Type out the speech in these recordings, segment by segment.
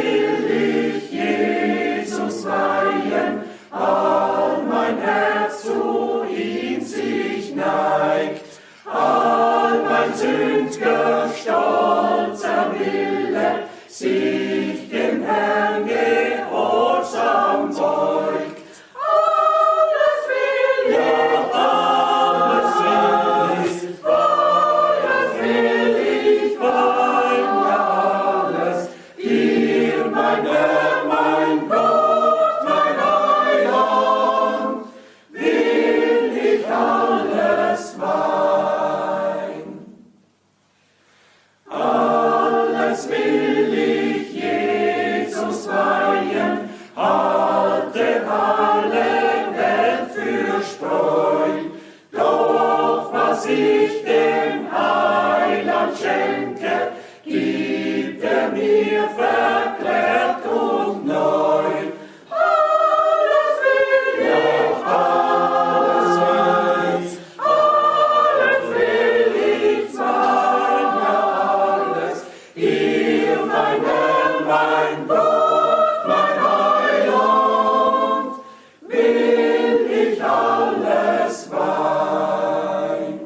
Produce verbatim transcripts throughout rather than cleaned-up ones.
will ich Jesus weihen, all mein Herz zu ihm sich neigt, all mein sündger, stolzer Wille sich dem Herrn gehorsam beugt. Alles will ich, alles will ich, alles will ich, wein, ja alles, dir mein Herr, mein Gott, mein Heiland, will ich alles wein. Alles will ich Jesus weihen, halte alle Welt für Spreu, doch was ich dem Heiland schenke, gibt er mir verklärt und neu. Alles will ich, alles will ich, alles will ich sein, ja alles, dir mein Herr, mein Gott, mein Heiland, will ich alles wein.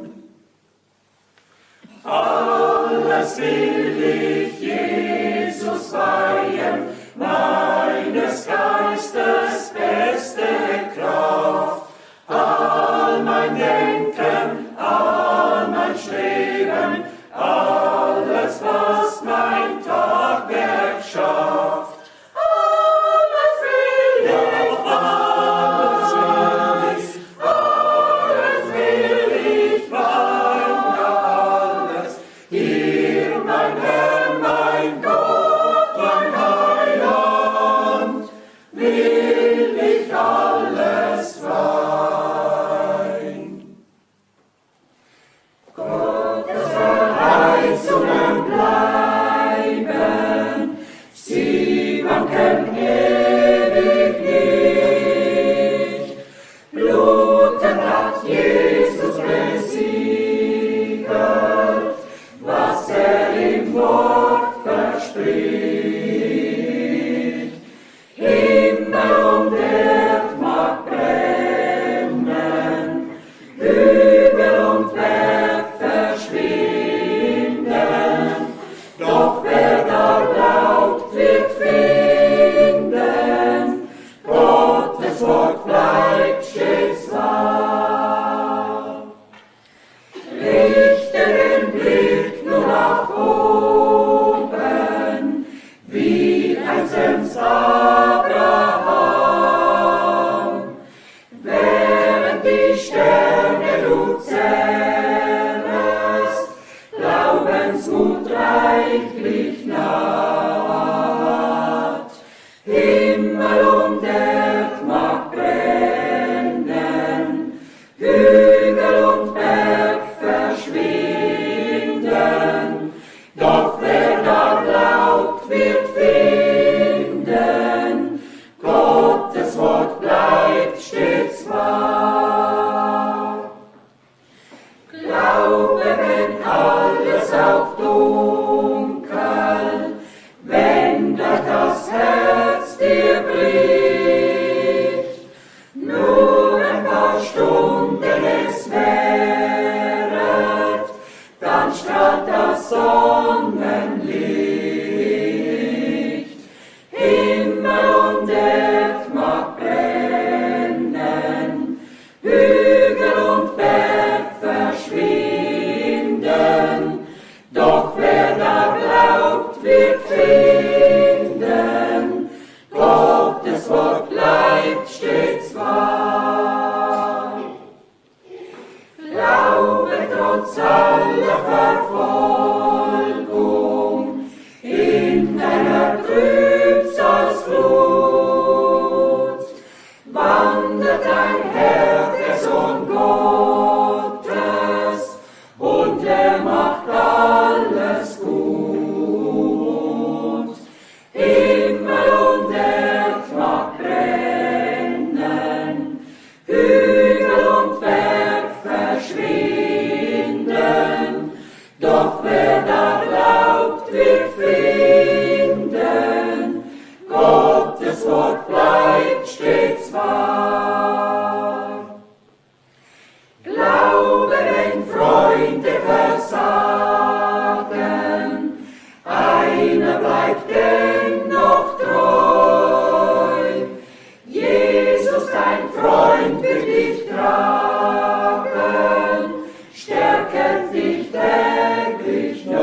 Alles will ich Jesus weihen, meines Geistes beste Kraft, all mein Denken, all mein Streben, alles, was mein Tagwerk schafft. Alles will ich, alles will ich, alles will ich wein, ja alles, dir mein Herr, mein Gott, mein Heiland, will ich alles wein. Gottes Verheißungen bleiben, sie wanken ewig nicht. Blutend hat Jesus besiegt, was er im Wort verspricht. Himmel und Erd mag brennen, Hügel und Berg verschwinden, doch wer da glaubt, wird finden, Gottes Wort bleibt stets wahr. Richte den Blick nur nach oben, wie einstens Abraham, während die Sterne du zählest, Glaubensmut reichlich naht. Himmel und Erd mag brennen, Hügel und Berg verschwinden, doch wer da glaubt, wird finden, stets wahr. Glaube, wenn Freunde versagen, einer bleibt dennoch treu. Jesus, dein Freund, wird dich tragen, stärket dich täglich neu.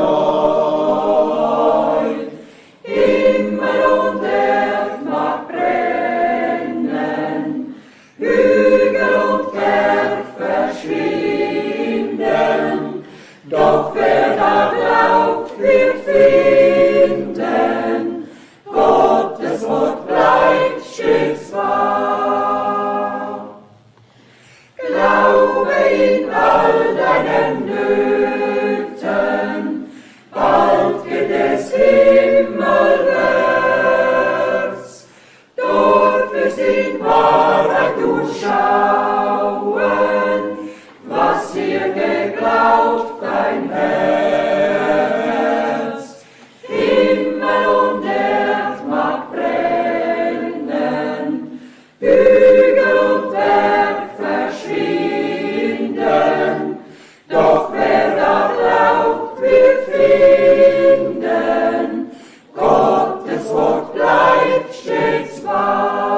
Himmel und Erd mag brennen, Hügel und Berg verschwinden, doch wer da glaubt, wird finden, Gottes Wort bleibt stets wahr. Glaube in all deinen Nöten, bald wird es himmelwärts, dort wirst in Wahrheit du schauen, was dir geglaubt dein Herz. Himmel und Erd mag brennen, Hügel und Berg verschwinden, doch wer da glaubt, wird finden, Gottes Wort bleibt stets wahr.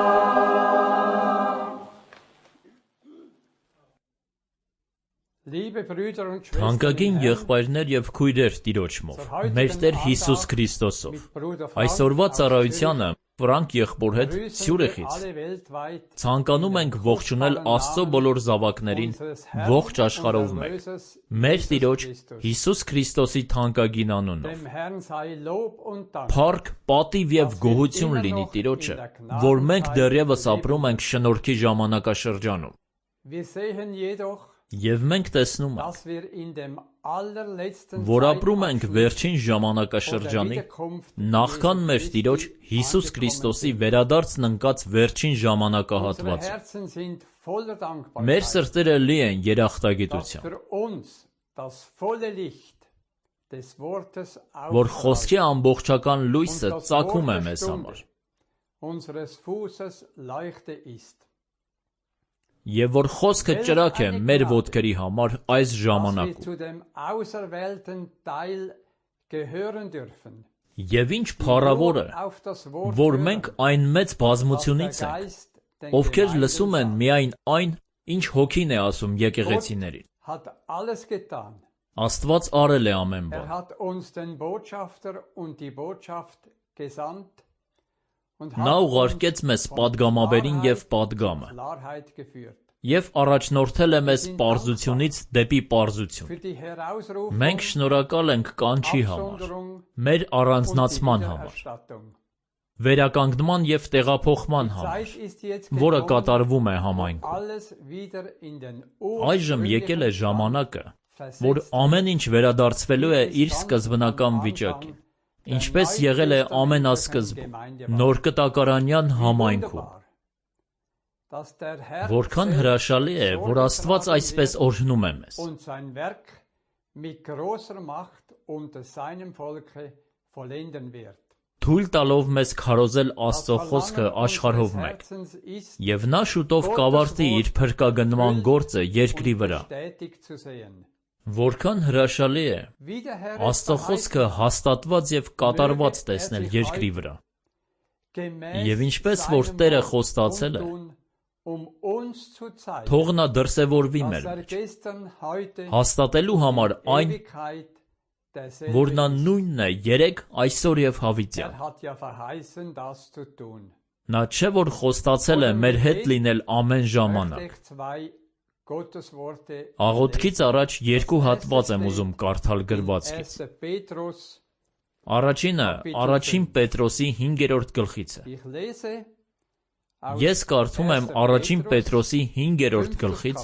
Liebe Brüder und Schwestern, Թանկագին եղբայրներ եւ քույրեր Տիրոջմով, մեր Տեր Հիսուս Քրիստոսով, այսօրվա ծառայությանը Ֆրանկ եղբոր հետ Ցյուրիխից ցանկանում ենք ողջունել Աստծո բոլոր զավակներին ողջ աշխարհով մեկ, մեր Տիրոջ Հիսուս Քրիստոսի թանկագին անունով։ Փառք, պատիվ եւ գոհություն լինի Տիրոջը, որ մենք դեռևս ապրում ենք շնորհքի ժամանակաշրջանում։ Եվ մենք տեսնում ենք, որ ապրում ենք վերջին ժամանակաշրջանի, նախքան մեր Տիրոջ Հիսուս Քրիստոսի վերադարձն ընկած վերջին ժամանակահատվածում։ Մեր սրտերը լի են երախտագիտությամբ, որ խոսքի ամբողջական լույսը ծագում է մեզ համար։ Եվ որ խոսքը ճրագ է մեր ոտքերի համար այս ժամանակում։ Եվ ինչ փառավոր է, որ մենք այն մեծ բազմությունից ենք, ովքեր լսում են միայն այն, ինչ հոգին է ասում եկեղեցիներին։ Աստված արել է ամեն բան։ Նա ուղարկեց մեզ պատգամաբերին և պատգամը և առաջնորդել է մեզ պարզությունից դեպի պարզություն։ Մենք շնորհակալ ենք կանչի համար, մեր առանձնացման համար, վերականգնման և տեղափոխման համար, որը կատարվում է համայնքում։ Այժմ եկել է ժամանակը, որ ամեն ինչ վերադարձվելու է իր սկզբնական վիճակին, ինչպես եղել է ամենասկզբում, նոր կտակարանյան համայնքում։ Որքան հրաշալի է, որ Աստված այսպես օրհնում է մեզ։ Թույլ տալով մեզ քարոզել Աստծո խոսքը աշխարհով մեկ, և նա շուտով կավարտի իր փրկագնման գործը երկրի վրա։ Որքան հրաշալի է Աստծո խոսքը հաստատված և կատարված տեսնել երկրի վրա։ Եվ ինչպես որ Տերը խոստացել է, թող նա դրսևորվի մեր մեջ, հաստատելու համար այն, որ նա նույնն է երեկ, այսօր և հավիտյան։ Նա չէ որ խոստացել է մեր հետ լինել ամեն ժամանակ։ Աղոթքից առաջ երկու հատված եմ ուզում կարդալ գրվածքից։ Առաջինը առաջին Պետրոսի հինգերորդ գլխից է։ Ես կարդում եմ առաջին Պետրոսի հինգերորդ գլխից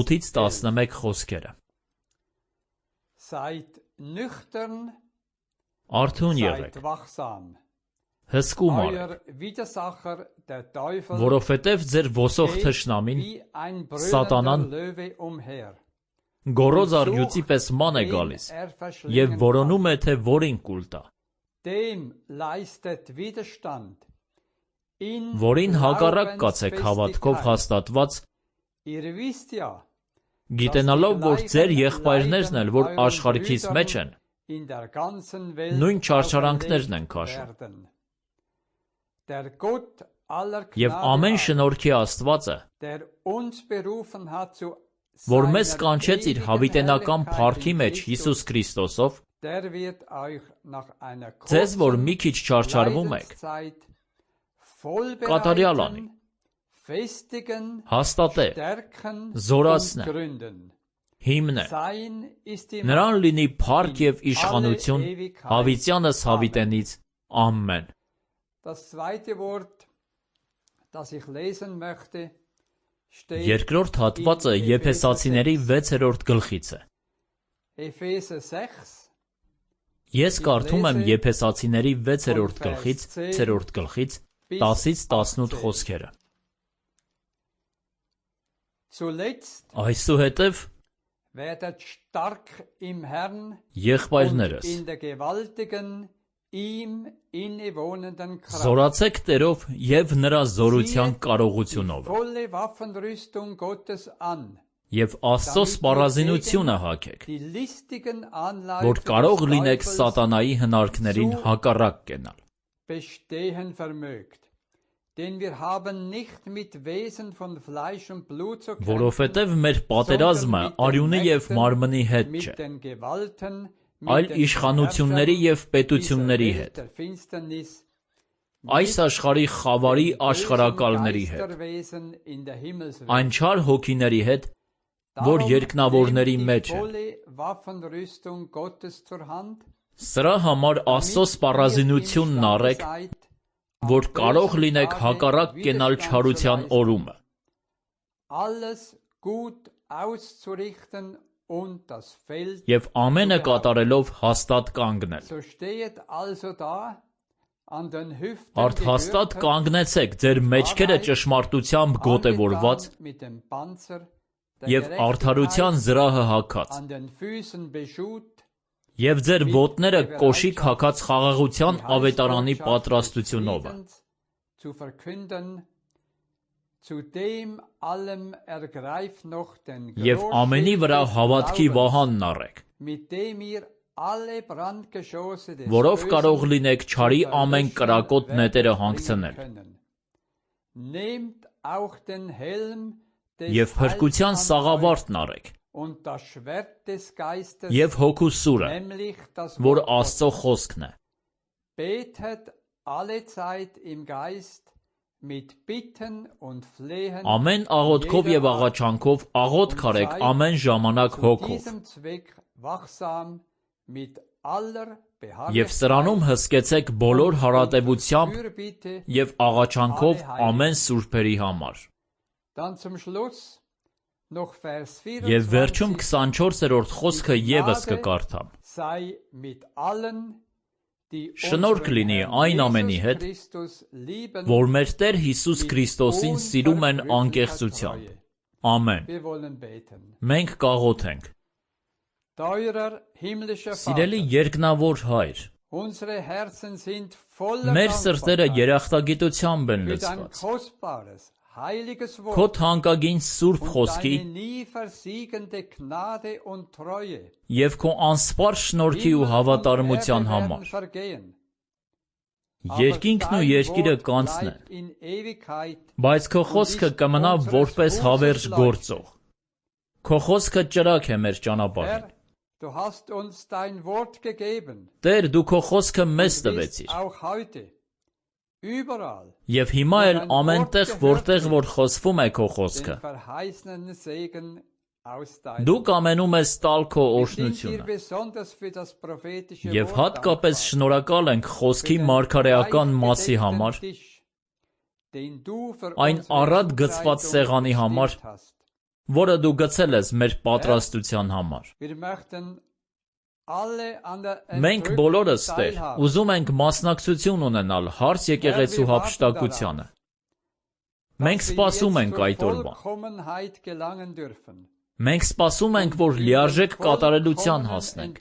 ութից տասնմեկ խոսքերը։ Արթուն եղեք, հսկում արեք, որովհետև ձեր ոսող թշնամին, սատանան, գոռոզ առյուծի պես ման է գալիս և որոնում է, թե որին կուլ տա։ որին հակառակ կացեք հավատքով հաստատված, գիտենալով, որ ձեր եղբայրներն էլ, որ աշխարհքից մեջ են, նույն չարչարանքներն են քաշում։ Եվ ամեն շնորհքի Աստվածը, որ մեզ կանչեց իր հավիտենական փառքի մեջ Հիսուս Քրիստոսով, ձեզ, որ մի քիչ չարչարվում եք, կատարյալ անի, հաստատե, զորացնե, հիմնե, նրան լինի փառք և իշխանություն հավիտյանս հավիտենից, ամեն։ Երկրորդ հատվածը Եփեսացիների վեցերորդ գլխից է։ Ես կարդում եմ Եփեսացիների վեցերորդ գլխից, վեցերորդ գլխից, տասից տասնութ խոսքերը։ Այսուհետև, եղբայրներս, զորացեք Տերով և նրա զորության կարողությունով, և Աստծո սպառազինությունը հագեք, որ կարող լինեք սատանայի հնարքներին հակառակ կենալ։ Որովհետև մեր պատերազմը արյունի և մարմնի հետ չէ, այլ իշխանությունների և պետությունների հետ, այս աշխարհի խավարի աշխարհակալների հետ, այն չար հոգիների հետ, որ երկնավորների մեջ են։ Սրա համար Աստծո սպառազինությունն առեք, որ կարող լինեք հակառակ կենալ չարության օրումը։ Եվ ամենը կատարելով հաստատ կանգնել։ Արդ հաստատ կանգնեցեք ձեր մեջքերը ճշմարտությամբ գոտևորված և արդարության զրահը հագած, և ձեր ոտները կոշիկ հագած խաղաղության ավետարանի պատրաստությունով, և ամենի վրա հավատքի վահանն առեք, որով կարող լինեք չարի ամեն կրակոտ նետերը հանգցնել, և փրկության սաղավարտն առեք, և հոգու սուրը, որ Աստծո խոսքն է, ամեն աղոթքով և աղաչանքով աղոթք արեք ամեն ժամանակ հոգով, և սրանում հսկեցեք բոլոր հարատևությամբ և աղաչանքով ամեն սուրբերի համար։ Եվ վերջում քսանչորսերորդ խոսքը ևս կկարդամ. շնորհք լինի այն ամենի հետ, որ մեր Տեր Հիսուս Քրիստոսին սիրում են անկեղծությամբ։ Ամեն։ Մենք կաղոթենք։ Սիրելի երկնավոր Հայր, մեր սրտերը երախտագիտությամբ են լցված Քո թանկագին սուրբ խոսքի և Քո անսպառ շնորհքի ու հավատարմության համար։ Երկինքն ու երկիրը կանցնեն, բայց Քո խոսքը կմնա որպես հավերժ գործող։ Քո խոսքը ճրագ է մեր ճանապարհին։ Տեր, Դու Քո խոսքը մեզ տվեցիր։ Եվ հիմա էլ ամենտեղ, որտեղ որ խոսվում է Քո խոսքը, Դու կամենում ես տալ Քո օրհնությունը։ Եվ հատկապես շնորհակալ ենք խոսքի մարգարեական մասի համար, այն առատ գծված սեղանի համար, որը Դու գցել ես մեր պատրաստության համար։ Մենք բոլորս, Տեր, ուզում ենք մասնակցություն ունենալ հարց եկեղեցու հափշտակությանը։ Մենք սպասում ենք այդ օրվան։ Մենք սպասում ենք, որ լիարժեք կատարելության հասնենք,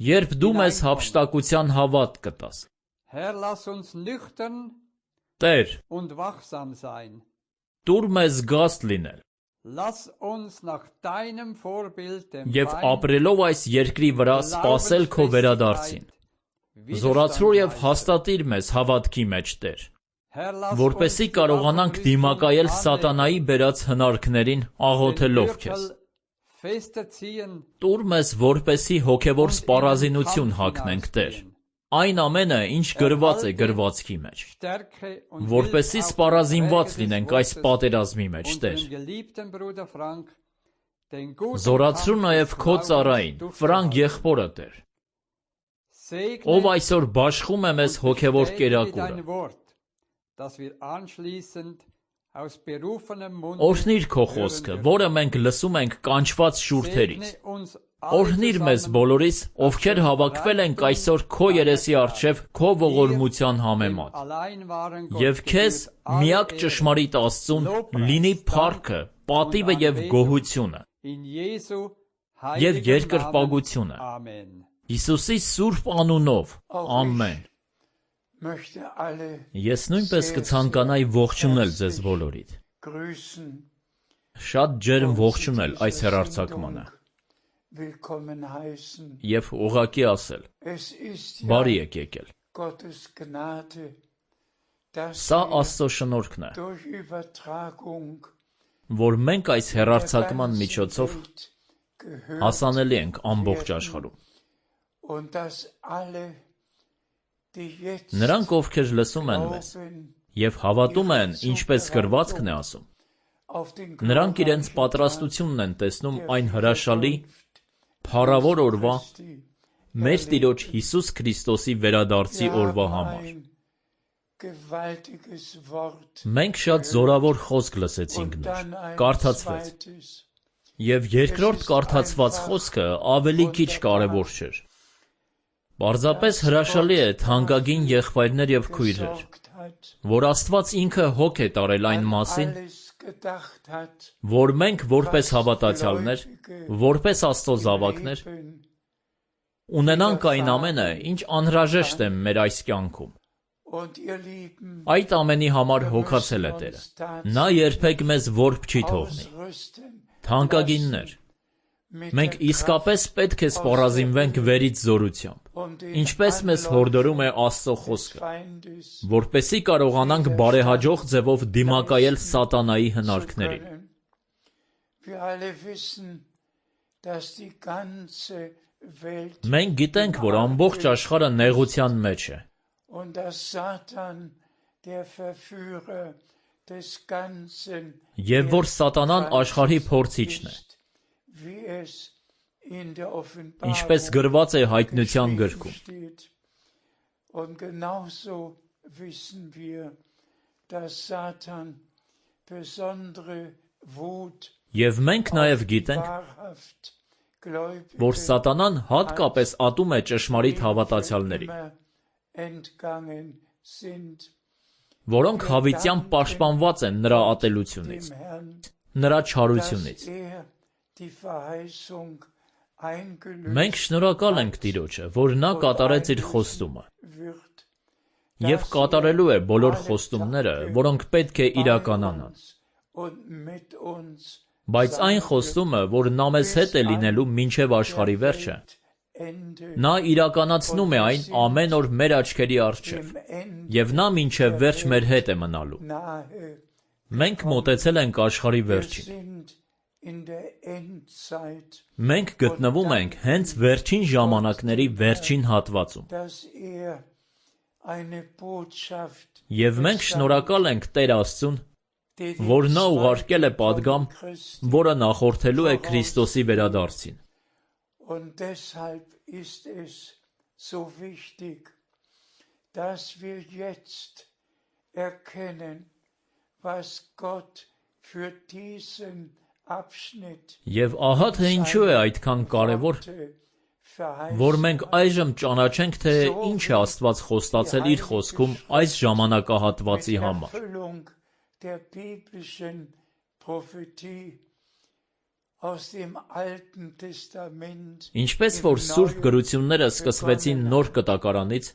երբ դու մեզ հափշտակության հավատ կտաս։ Տեր, տուր մեզ գաստ լինել և ապրելով այս երկրի վրա սպասել քո վերադարձին։ Զորացրու և հաստատիր մեզ հավատքի մեջ, Տեր, որպեսզի կարողանանք դիմակայել սատանայի բերած հնարքներին աղոթելով քեզ։ Տուր մեզ, որպեսզի հոգևոր սպառազինություն հագնենք, Տեր, այն ամենը, ինչ գրված է գրվածքի մեջ, որպեսզի սպառազինված լինենք այս պատերազմի մեջ, Տեր։ Զորացրու նաև քո ծառային, Ֆրանկ եղբորը, Տեր, ով այսօր բաշխում է մեզ հոգևոր կերակուրը։ Օրհնիր քո խոսքը, որը մենք լսում ենք կանչված շուրթերից։ Օրհնիր մեզ բոլորիս, ովքեր հավաքվել ենք այսօր քո երեսի առջև քո ողորմության համեմատ։ Եվ քեզ, միակ ճշմարիտ Աստծուն, լինի փառքը, պատիվը և գոհությունը, և երկրպագությունը։ Հիսուսի սուրբ անունով, ամեն։ Ես նույնպես կցանկանայի ողջունել ձեզ բոլորիդ։ Շատ ջերմ ողջունել այս հեռարձակմանը և ուղղակի ասել. բարի եք եկել։ Սա Աստծո շնորհքն է, որ մենք այս հեռարձակման միջոցով հասանելի ենք ամբողջ աշխարհում։ Նրանք, ովքեր լսում են մեզ և հավատում են, ինչպես գրվածքն է ասում, նրանք իրենց պատրաստությունն են տեսնում այն հրաշալի, փառավոր օրվա, մեր Տիրոջ Հիսուս Քրիստոսի վերադարձի օրվա համար։ Մենք շատ զորավոր խոսք լսեցինք նոր, կարդացվեց, և երկրորդ կարդացված խոսքը ավելի քիչ կարևոր չէր։ Պարզապես հրաշալի է, թանկագին եղբայրներ և քույրեր, որ Աստված ինքը հոգ է տարել այն մասին, որ մենք որպես հավատացյալներ, որպես Աստծո զավակներ, ունենանք այն ամենը, ինչ անհրաժեշտ է մեր այս կյանքում։ Այդ ամենի համար հոգացել է Տերը։ Նա երբեք մեզ որբ չի թողնի։ Թանկագիններ, մենք իսկապես պետք է սպառազինվենք վերից զորությամբ, ինչպես մեզ հորդորում է Աստծո խոսքը, որպեսզի կարողանանք բարեհաջող ձևով դիմակայել սատանայի հնարքներին։ Մենք գիտենք, որ ամբողջ աշխարհը նեղության մեջ է, և որ սատանան աշխարհի փորձիչն է, ինչպես գրված է Հայտնության գրքում։ Եվ մենք նաև գիտենք, որ սատանան հատկապես ատում է ճշմարիտ հավատացյալներին, որոնք հավիտյան պաշտպանված են նրա ատելությունից, նրա չարությունից։ Մենք շնորհակալ ենք Տիրոջը, որ նա կատարեց իր խոստումը և կատարելու է բոլոր խոստումները, որոնք պետք է իրականանան։ Բայց այն խոստումը, որ նա մեզ հետ է լինելու մինչև աշխարհի վերջը, նա իրականացնում է այն ամեն օր մեր աչքերի առջև, և նա մինչև վերջ մեր հետ է մնալու։ Մենք մոտեցել ենք աշխարհի վերջին։ Մենք գտնվում ենք հենց վերջին ժամանակների վերջին հատվածում։ Եվ մենք շնորհակալ ենք Տեր Աստծուն, որ նա ուղարկել է պատգամ, որը նախորդելու է Քրիստոսի վերադարձին։ Եվ ահա թե ինչու է այդքան կարևոր, որ մենք այժմ ճանաչենք, թե ինչ է Աստված խոստացել իր խոսքում այս ժամանակահատվածի համար։ Ինչպես որ Սուրբ գրությունները սկսվեցին Նոր Կտակարանից,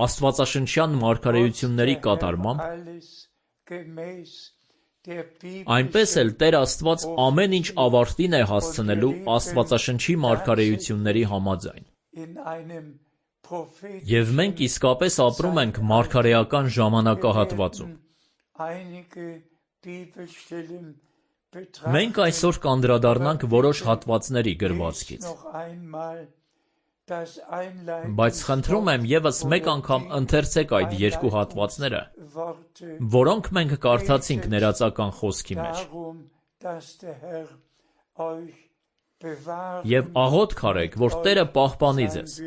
աստվածաշնչյան մարգարեությունների կատարմամբ, այնպես էլ Տեր Աստված ամեն ինչ ավարտին է հասցնելու աստվածաշնչի մարգարեությունների համաձայն։ Եվ մենք իսկապես ապրում ենք մարգարեական ժամանակահատվածում։ Մենք այսօր կանդրադառնանք որոշ հատվածների գրվածքից, բայց խնդրում եմ ևս մեկ անգամ ընթերցեք այդ երկու հատվածները, որոնք մենք կարդացինք ներածական խոսքի մեջ, և աղոթք արեք, որ Տերը պահպանի ձեզ,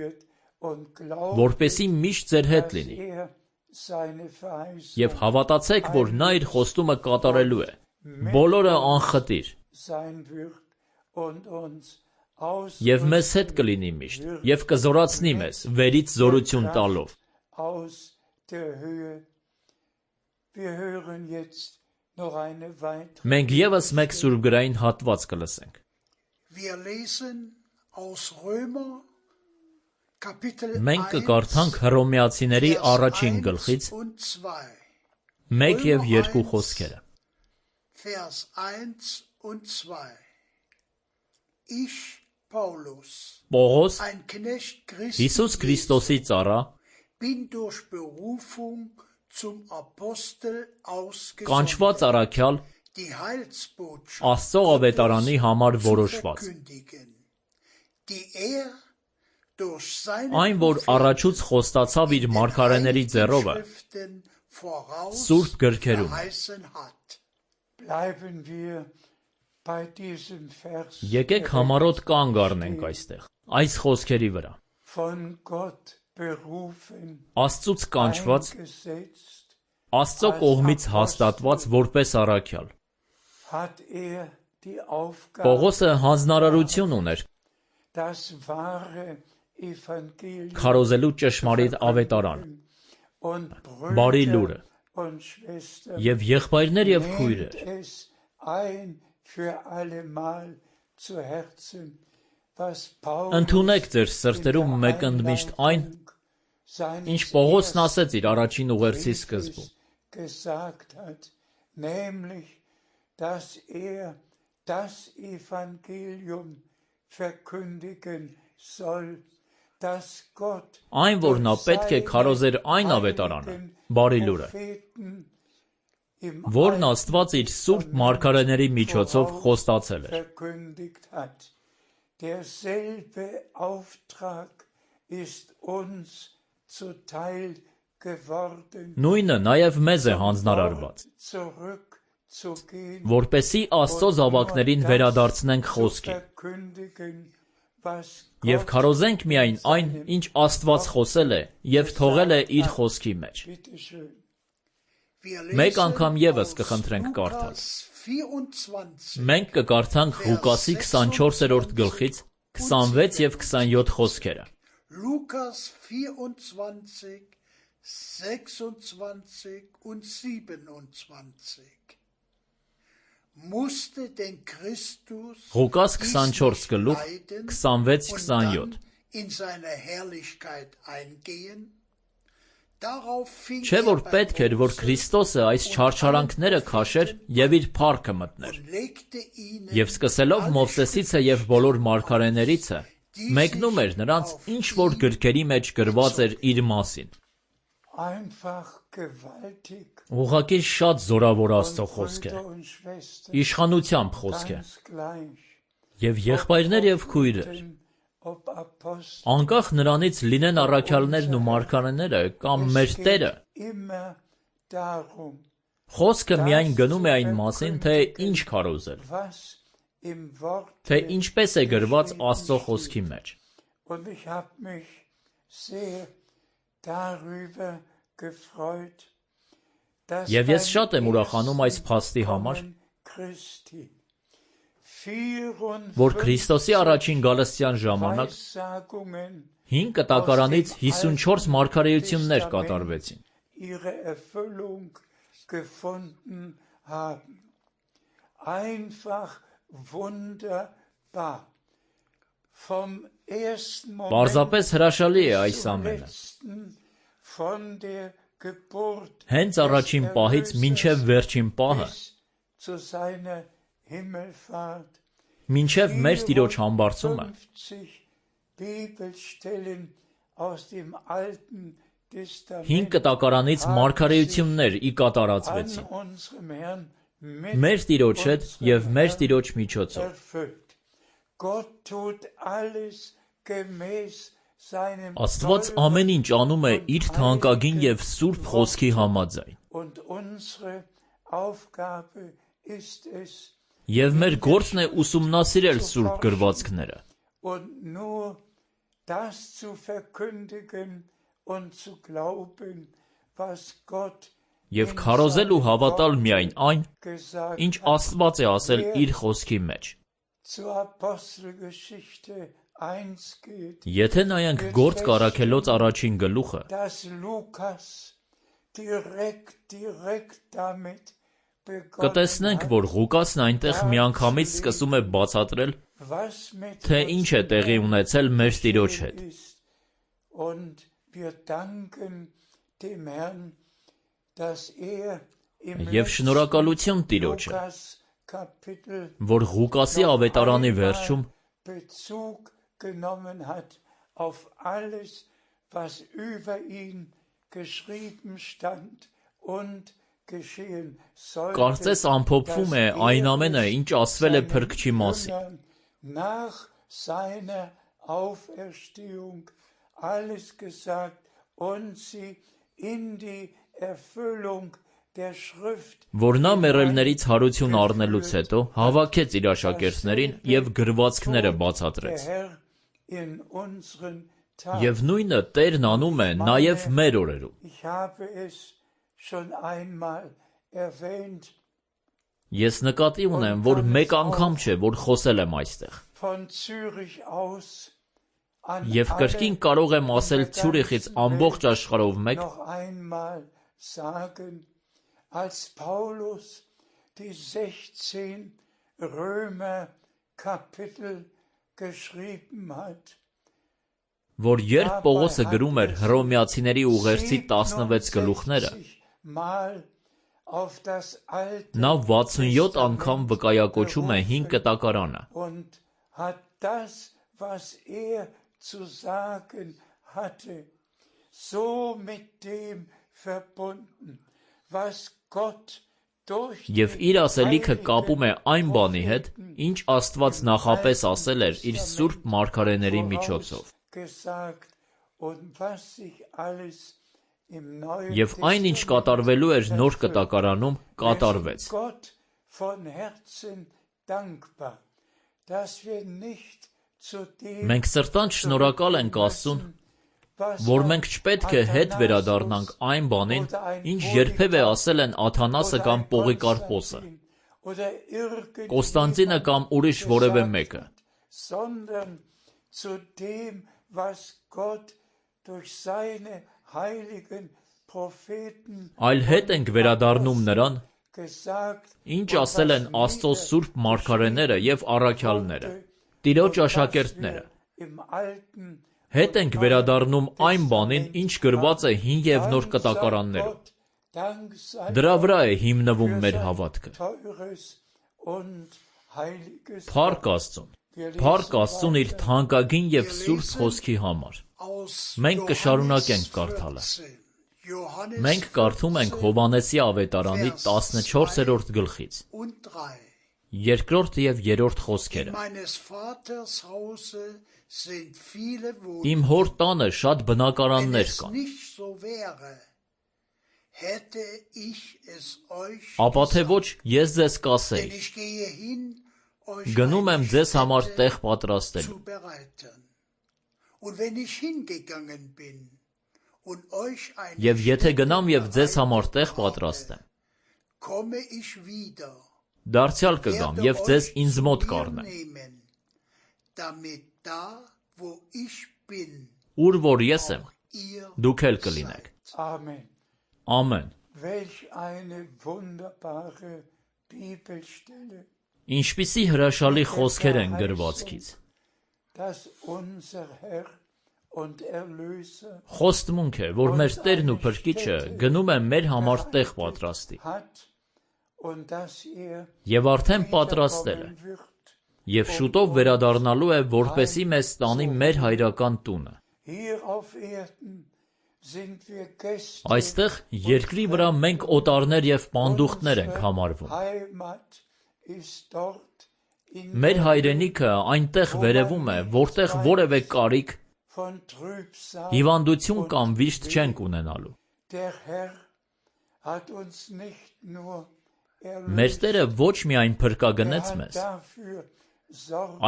որպեսզի միշտ ձեր հետ լինի, և հավատացեք, որ նա իր խոստումը կատարելու է, բոլորը անխտիր, և մեզ հետ կլինի միշտ, և կզորացնի մեզ, վերից զորություն տալով։ Մենք ևս մեկ սուրբգրային հատված կլսենք։ Մենք կկարդանք Հռոմեացիների առաջին գլխից մեկ և երկու խոսքերը։ Պողոս, Հիսուս Քրիստոսի ծառա, կանչված առաքյալ, Աստծո ավետարանի համար որոշված, այն, որ առաջուց խոստացավ իր մարգարեների ձեռովը, Սուրբ գրքերում։ Եկեք համառոտ կանգ առնենք այստեղ, այս խոսքերի վրա։ Աստծուց կանչված, Աստծո կողմից հաստատված որպես առաքյալ։ Պողոսը հանձնարարություն ուներ քարոզելու ճշմարիտ ավետարան, բարի լուրը, և եղբայրներ և քույրեր, ընդունեք ձեր սրտերում մեկընդմիշտ այն, ինչ Պողոսն ասեց իր առաջին ուղերձի սկզբում, այն, որ նա պետք է քարոզեր այն ավետարանը, բարի լուրը, որն Աստված իր սուրբ մարգարեների միջոցով խոստացել էր։ Նույնը նաև մեզ է հանձնարարված, որպեսզի Աստծո զավակներին վերադարձնենք խոսքին և քարոզենք միայն այն, ինչ Աստված խոսել է և թողել է իր խոսքի մեջ։ Մեկ անգամ ևս կխնդրենք կարդալ։ Մենք կկարդանք Ղուկասի քսանչորսերորդ գլխից քսանվեց և քսանյոթ խոսքերը։ Ղուկաս քսանչորս գլուխ քսանվեց քսանյոթ։ Չէ՞ որ պետք էր, որ Քրիստոսը այս չարչարանքները քաշեր և իր փառքը մտներ։ Եվ սկսելով Մովսեսիցը և բոլոր մարգարեներիցը, մեկնում էր նրանց, ինչ որ գրքերի մեջ գրված էր իր մասին։ Ուղղակի շատ զորավոր Աստծո խոսք է, իշխանությամբ խոսք է։ Եվ եղբայրներ և քույրեր, անկախ նրանից լինեն առաքյալներն ու մարգարեները կամ մեր Տերը, խոսքը միայն գնում է այն մասին, թե ինչ քարոզել, թե ինչպես է գրված Աստծո խոսքի մեջ։ Եվ ես շատ եմ ուրախանում այս փաստի համար, որ Քրիստոսի առաջին գալստյան ժամանակ հին կտակարանից հիսունչորս մարգարեություններ կատարվեցին։ Պարզապես հրաշալի է այս ամենը։ Հենց առաջին պահից մինչև վերջին պահը, մինչև մեր Տիրոջ համբարձումը, հին կտակարանից մարգարեություններ ի կատարածվեցին մեր Տիրոջ հետ և մեր Տիրոջ միջոցով։ Աստված ամեն ինչ անում է իր թանկագին և սուրբ խոսքի համաձայն։ Եվ մեր գործն է ուսումնասիրել սուրբ գրվածքները և քարոզել ու հավատալ միայն այն, ինչ Աստված է ասել իր խոսքի մեջ։ Եթե նայենք Գործք առաքելոց առաջին գլուխը, կտեսնենք, որ Ղուկասն այնտեղ միանգամից սկսում է բացատրել, թե ինչ է տեղի ունեցել մեր Տիրոջ հետ։ Եվ շնորհակալություն Տիրոջը, որ Ղուկասի ավետարանի վերջում կարծես ամփոփվում է այն ամենը, ինչ ասվել է Փրկչի մասին։ Որ նա մեռելներից հարություն առնելուց հետո հավաքեց իր աշակերտներին և գրվածքները բացատրեց։ Եվ նույնը Տերն անում է նաև մեր օրերում։ Ես նկատի ունեմ, որ մեկ անգամ չէ, որ խոսել եմ այստեղ։ Եվ կրկին կարող եմ ասել Ցյուրիխից ամբողջ աշխարհով մեկ, որ երբ Պողոսը գրում էր Հռոմեացիների ուղերձի տասնվեց գլուխները, նա վաթսունյոթ անգամ վկայակոչում է հին կտակարանը։ Եվ իր ասելիքը կապում է այն բանի հետ, ինչ Աստված նախապես ասել էր իր սուրբ մարգարեների միջոցով։ Եվ այն, ինչ կատարվելու էր նոր կտակարանում, կատարվեց։ Մենք սրտանց շնորհակալ ենք Աստծուն, որ մենք չպետք է հետ վերադառնանք այն բանին, ինչ երբևէ ասել են Աթանասը կամ Պողիկարպոսը, Կոստանդինը կամ ուրիշ որևէ մեկը, այլ հետ ենք վերադառնում նրան, ինչ ասել են Աստծո սուրբ մարգարեները և առաքյալները, Տիրոջ աշակերտները։ Հետ ենք վերադառնում այն բանին, ինչ գրված է հին և նոր կտակարաններում։ Դրա վրա է հիմնվում մեր հավատքը։ Փառք Աստծուն, փառք Աստծուն իր թանկագին և սուրբ խոսքի համար։ Մենք կշարունակենք կարդալը։ Մենք կարդում ենք Հովհաննեսի ավետարանի տասնչորսերորդ գլխից, երկրորդ և երրորդ խոսքերը։ Իմ հոր տանը շատ բնակարաններ կան։ Ապա թե ոչ ես ձեզ կասեի. գնում եմ ձեզ համար տեղ պատրաստելու։ Եվ եթե գնամ և ձեզ համար տեղ պատրաստեմ, դարձյալ կգամ և ձեզ ինձ մոտ կառնեմ, ուր որ ես եմ, դուք էլ կլինեք։ Ամեն։ Ինչպիսի հրաշալի խոսքեր են գրվածքից։ Խոստմունք է, որ մեր Տերն ու Փրկիչը գնում է մեր համար տեղ պատրաստի։ Եվ արդեն պատրաստել է։ Եվ շուտով վերադառնալու է, որպեսզի մեզ տանի մեր հայրական տունը։ Այստեղ երկրի վրա մենք օտարներ և պանդուխտներ ենք համարվում։ Մեր հայրենիքը այնտեղ վերևում է, որտեղ որևէ կարիք, հիվանդություն կամ վիշտ չենք ունենալու։ Մեր Տերը ոչ միայն փրկագնեց մեզ,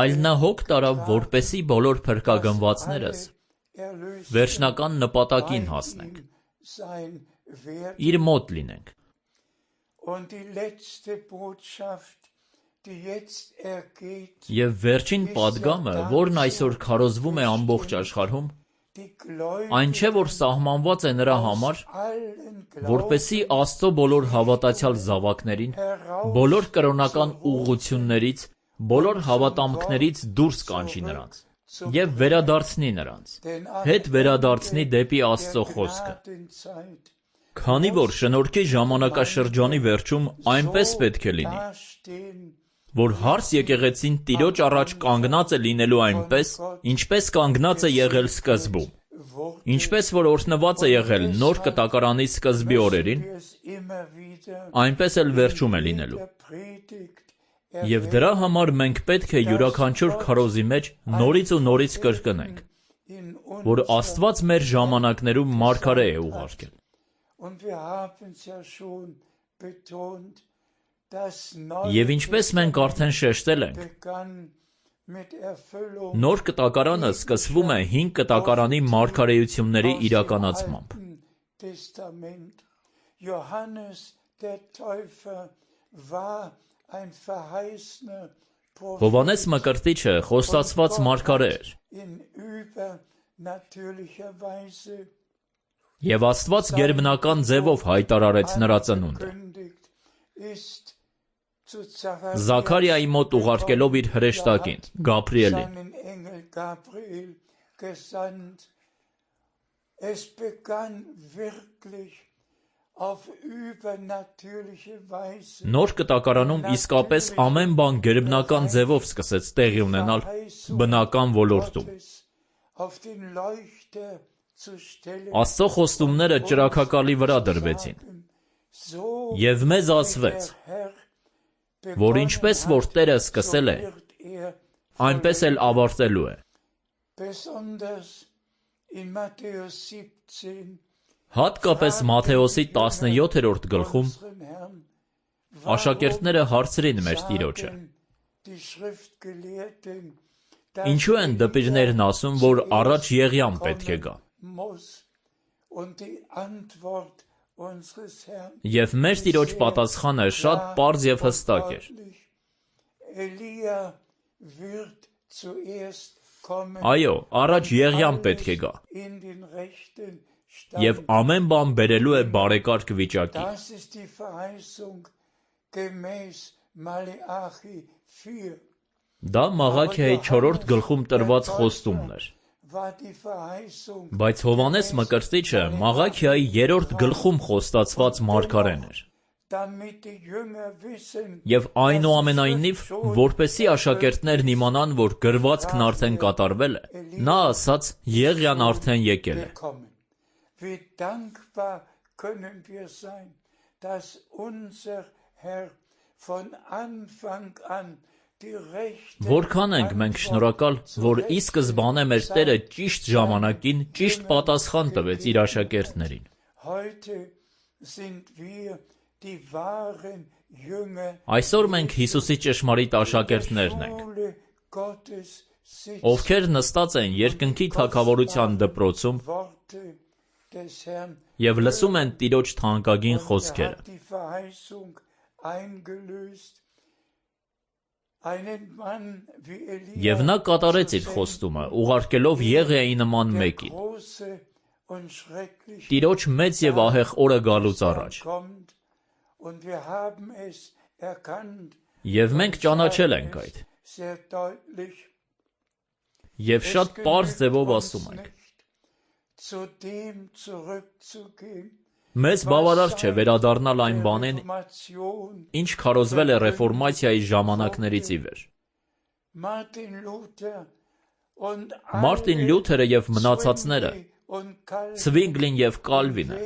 այլ նա հոգ տարավ, որպեսզի բոլոր փրկագնվածներս վերջնական նպատակին հասնենք, իր մոտ լինենք։ Եվ վերջին պատգամը, որն այսօր քարոզվում է ամբողջ աշխարհում, այն չէ, որ սահմանված է նրա համար, որպեսզի Աստծո բոլոր հավատացյալ զավակներին, բոլոր կրոնական ուղղություններից, բոլոր հավատամքներից դուրս կանչի նրանց և վերադարձնի նրանց, հետ վերադարձնի դեպի Աստծո խոսքը։ Քանի որ շնորհքի ժամանակաշրջանի վերջում այնպես պետք է լինի, որ հարս եկեղեցին Տիրոջ առաջ կանգնած է լինելու այնպես, ինչպես կանգնած է եղել սկզբում, ինչպես որ օրհնված է եղել նոր կտակարանի սկզբի օրերին, այնպես էլ վերջում է լինելու։ Եվ դրա համար մենք պետք է յուրաքանչյուր քարոզի մեջ նորից ու նորից կրկնենք, որ Աստված մեր ժամանակներում մարգարե է ուղարկել։ Եվ ինչպես մենք արդեն շեշտել ենք, նոր կտակարանը սկսվում է հին կտակարանի մարգարեությունների իրականացմամբ։ Հովհաննես Մկրտիչը խոստացված մարգարե էր։ Եվ Աստված գերբնական ձևով հայտարարեց նրա ծնունդը։ Զաքարիայի մոտ ուղարկելով իր հրեշտակին, Գաբրիելին։ Նոր կտակարանում իսկապես ամեն բան գերբնական ձևով սկսեց տեղի ունենալ բնական ոլորտում։ Աստծո խոստումները ճրագակալի վրա դրվեցին։ Եվ մեզ ասվեց, որ ինչպես որ Տերը սկսել է, այնպես էլ ավարտելու է։ Հատկապես Մատթեոսի տասնյոթերորդ գլխում աշակերտները հարցրին մեր Տիրոջը. Ինչու են դպիրներն ասում, որ առաջ Եղիան պետք է գա։ Եվ մեր Տիրոջ պատասխանը շատ պարզ և հստակ էր։ Այո, առաջ Եղիան պետք է գա։ Եվ ամեն բան բերելու է բարեկարգ վիճակի։ Դա Մաղաքիայի չորրորդ գլխում տրված խոստումն էր։ Բայց Հովհաննես Մկրտիչը Մաղաքիայի երրորդ գլխում խոստացված մարգարեն էր։ Եվ այնուամենայնիվ, որպեսզի աշակերտներն իմանան, որ գրվածքն արդեն կատարվել է, նա ասաց Եղիան արդեն եկել է։ Wie dankbar können wir sein, dass unser Herr von Anfang an die rechte Որքան ենք մենք շնորհակալ, որ ի սկզբանե մեր Տերը ճիշտ ժամանակին ճիշտ պատասխան տվեց իր աշակերտներին։ Այսօր մենք Հիսուսի ճշմարիտ աշակերտներն ենք, ովքեր նստած են երկնքի թագավորության դպրոցում և լսում են Տիրոջ թանկագին խոսքերը։ Եվ նա կատարեց իր խոստումը, ուղարկելով Եղիայի նման մեկին։ Տիրոջ մեծ և ահեղ օրը գալուց առաջ։ Եվ մենք ճանաչել ենք այդ։ Եվ շատ պարզ ձևով ասում ենք. մեզ բավարար չէ վերադառնալ այն բանին, ինչ քարոզվել է ռեֆորմացիայի ժամանակներից ի վեր։ Մարտին Լյութերը և մնացածները, Ցվինգլին և Կալվինը,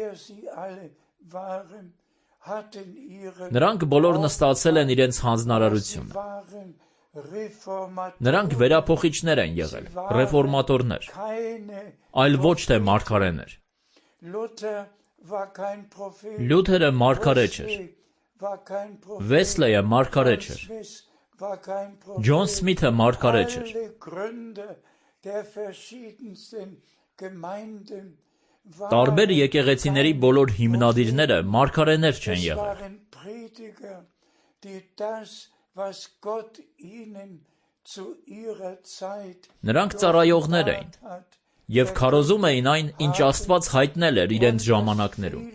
նրանք բոլորն ստացել են իրենց հանձնարարությունը։ Նրանք վերափոխիչներ են եղել, ռեֆորմատորներ, այլ ոչ թե մարգարեներ։ Լյութերը մարգարե չէր, Վեսլեյը մարգարե չէր, Ջոն Սմիթը մարգարե չէր։ Տարբեր եկեղեցիների բոլոր հիմնադիրները մարգարեներ չեն եղել։ Նրանք ծառայողներ էին և քարոզում էին այն, ինչ Աստված հայտնել էր իրենց ժամանակներում։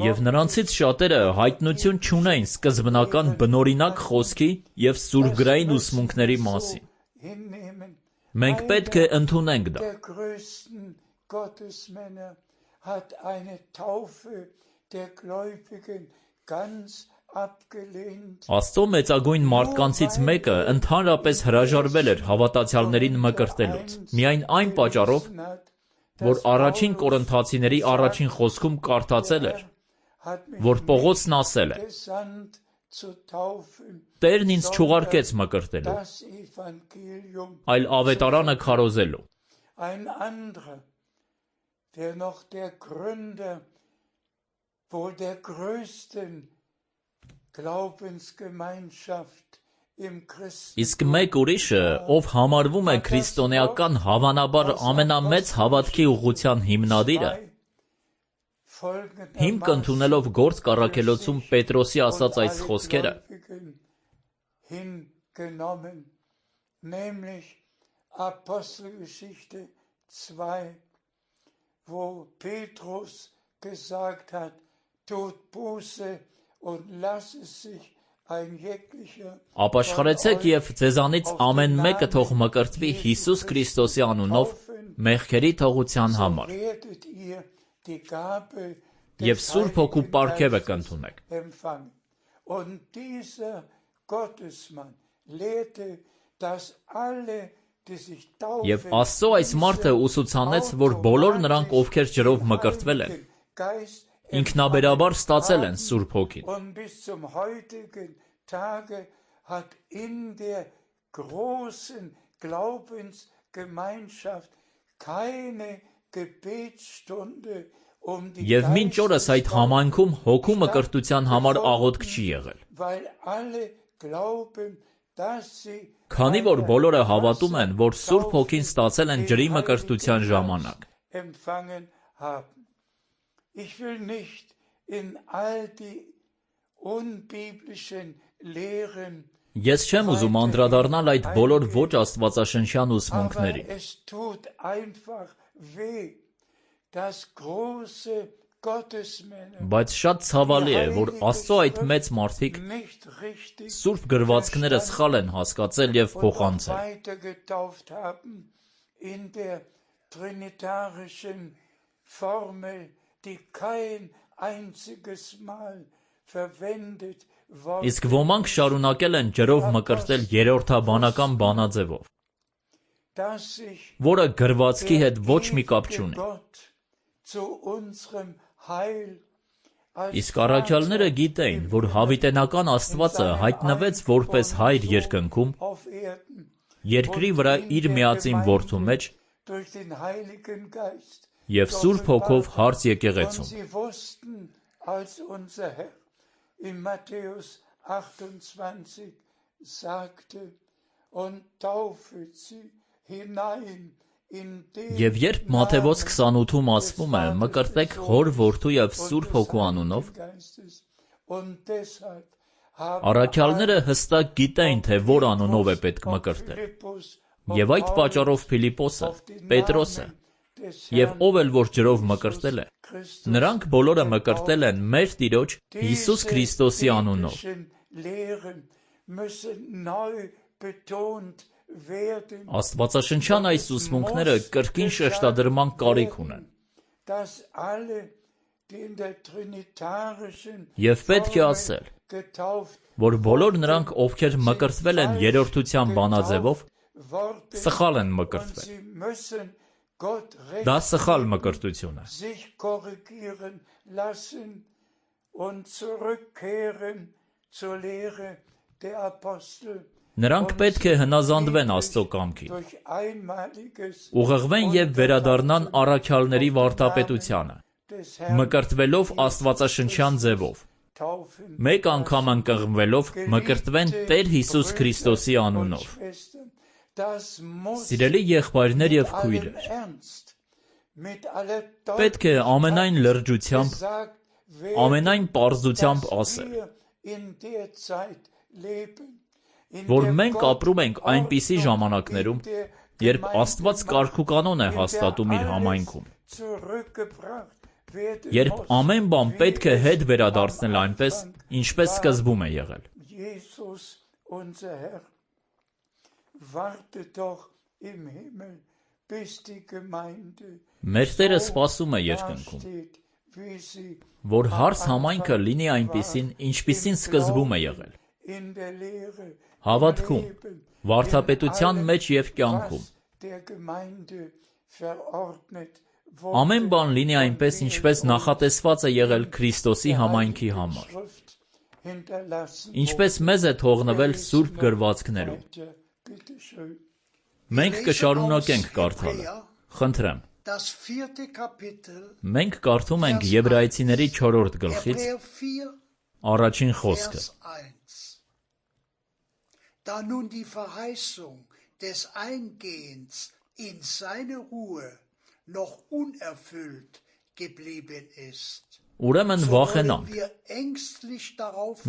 Եվ նրանցից շատերը հայտնություն չունեին սկզբնական բնօրինակ խոսքի և սուրբգրային ուսմունքների մասին։ Մենք պետք է ընդունենք դա։ Աստծո մեծագույն մարդկանցից մեկը ընդհանրապես հրաժարվել էր հավատացյալներին մկրտելուց, միայն այն պատճառով, որ առաջին Կորինթացիների առաջին խոսքում կարդացել էր, որ Պողոսն ասել է. Տերն ինձ չուղարկեց մկրտելու, այլ ավետարանը քարոզելու։ Իսկ մեկ ուրիշը, ով համարվում է քրիստոնեական հավանաբար ամենամեծ հավատքի ուղղության հիմնադիրը, հիմք ընդունելով Գործք առաքելոցում Պետրոսի ասած այս խոսքերը, ապաշխարեցեք և ձեզանից ամեն մեկը թող մկրտվի Հիսուս Քրիստոսի անունով մեղքերի թողության համար, և Սուրբ Հոգու պարգևը կընդունեք։ Եվ Աստծո այս մարդը ուսուցանեց, որ բոլոր նրանք, ովքեր ջրով մկրտվել են, ինքնաբերաբար ստացել են Սուրբ Հոգին։ Եվ մինչ օրս այդ համայնքում հոգու մկրտության համար աղոթք չի եղել։ Քանի որ բոլորը հավատում են, որ Սուրբ Հոգին ստացել են ջրի մկրտության ժամանակ։ Ես չեմ ուզում անդրադառնալ այդ բոլոր ոչ աստվածաշնչյան ուսմունքներին։ Բայց շատ ցավալի է, որ Աստծո այդ մեծ մարդիկ Սուրբ գրվածքները սխալ են հասկացել և փոխանցել։ Իսկ ոմանք շարունակել են ջրով մկրտել երրորդաբանական բանաձևով, որը գրվածքի հետ ոչ մի կապ չունի։ Իսկ առաքյալները գիտեին, որ հավիտենական Աստվածը հայտնվեց որպես Հայր երկնքում, երկրի վրա իր միածին Որդու մեջ և Սուրբ Հոգով հարց եկեղեցում։ Եվ երբ Մատթեոս քսանութում ասվում է մկրտեք Հոր, Որդու և Սուրբ Հոգու անունով, առաքյալները հստակ գիտեին, թե որ անունով է պետք մկրտել։ Եվ այդ պատճառով Փիլիպոսը, Պետրոսը Եվ ով էլ որ ջրով մկրտել է, նրանք բոլորը մկրտել են մեր Տիրոջ Հիսուս Քրիստոսի անունով։ Աստվածաշնչյան այս ուսմունքները կրկին շեշտադրման կարիք ունեն։ Եվ պետք է ասել, որ բոլոր նրանք, ովքեր մկրտվել են երրորդության բանաձևով, սխալ են մկրտվել։ Դա սխալ մկրտություն է։ Նրանք պետք է հնազանդվեն Աստծո կամքին, ուղղվեն և վերադառնան առաքյալների վարդապետությանը, մկրտվելով աստվածաշնչյան ձևով, մեկ անգամ ընկղմվելով մկրտվեն Տեր Հիսուս Քրիստոսի անունով։ Սիրելի եղբայրներ և քույրեր, պետք է ամենայն լրջությամբ, ամենայն պարզությամբ ասել, որ մենք ապրում ենք այնպիսի ժամանակներում, երբ Աստված կարգուկանոն է հաստատում իր համայնքում, երբ ամեն բան պետք է հետ վերադարձնել այնպես, ինչպես սկզբում է եղել։ Մեր Տերը սպասում է երկնքում, որ հարս համայնքը լինի այնպիսին, ինչպիսին սկզբում է եղել, հավատքում, վարդապետության մեջ և կյանքում։ Ամեն բան լինի այնպես, ինչպես նախատեսված է եղել Քրիստոսի համայնքի համար, ինչպես մեզ է թողնվել Սուրբ գրվածքներում։ Մենք կշարունակենք կարդալը, խնդրեմ։ Մենք կարդում ենք Եբրայեցիների չորրորդ գլխից առաջին խոսքը։ Da nun die Verheißung des Eingehens in seine Ruhe noch unerfüllt geblieben ist, Ուրեմն վախենանք,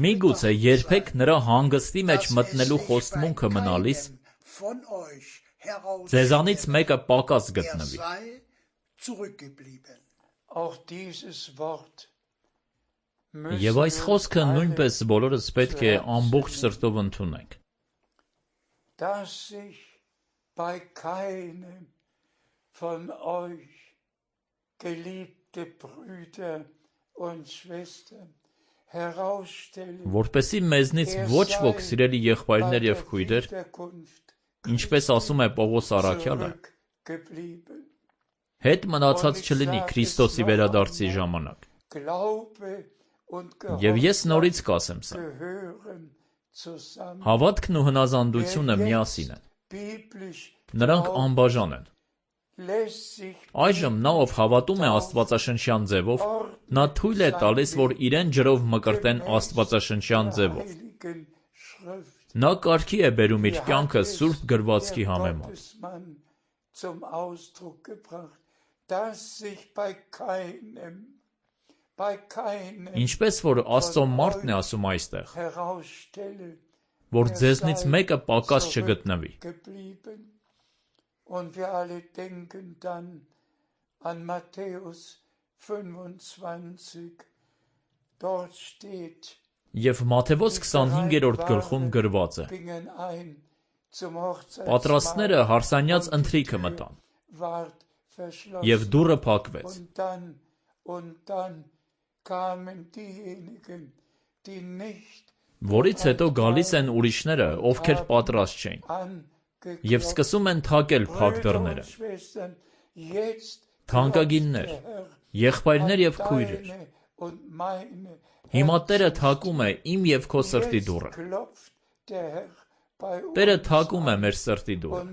միգուցե երբեք նրա հանգստի մեջ մտնելու խոստմունքը մնալիս, ձեզանից մեկը պակաս գտնվի։ Եվ այս խոսքը նույնպես բոլորս պետք է ամբողջ սրտով ընդունենք։ Dass sich bei keinem von euch, geliebte Brüder und Schwestern, herausstellen, որպեսզի մեզնից ոչ ոք սիրելի եղբայրներ և քույրեր, ինչպես ասում է Պողոս առաքյալը, հետ մնացած չլինի Քրիստոսի վերադարձի ժամանակ։ Եվ ես նորից կասեմ սա. Հավատքն ու հնազանդությունը միասին են։ Նրանք անբաժան են։ Այժմ նա, ով հավատում է աստվածաշնչյան ձևով, նա թույլ է տալիս, որ իրեն ջրով մկրտեն աստվածաշնչյան ձևով։ Նա կարգի է բերում իր կյանքը Սուրբ գրվածքի համեմատ։ Ինչպես որ Աստծո մարդն է ասում այստեղ, որ ձեզնից մեկը պակաս չգտնվի։ Եվ Մատթեոս քսանհինգերորդ գլխում գրված է. Պատրաստները հարսանյաց ընթրիքը մտան, և դուռը փակվեց։ Որից հետո գալիս են ուրիշները, ովքեր պատրաստ չէին, և սկսում են թակել փակ դռները։ Թանկագիններ, եղբայրներ և քույրեր, հիմա Տերը թակում է իմ և քո սրտի դուռը։ Տերը թակում է մեր սրտի դուռը։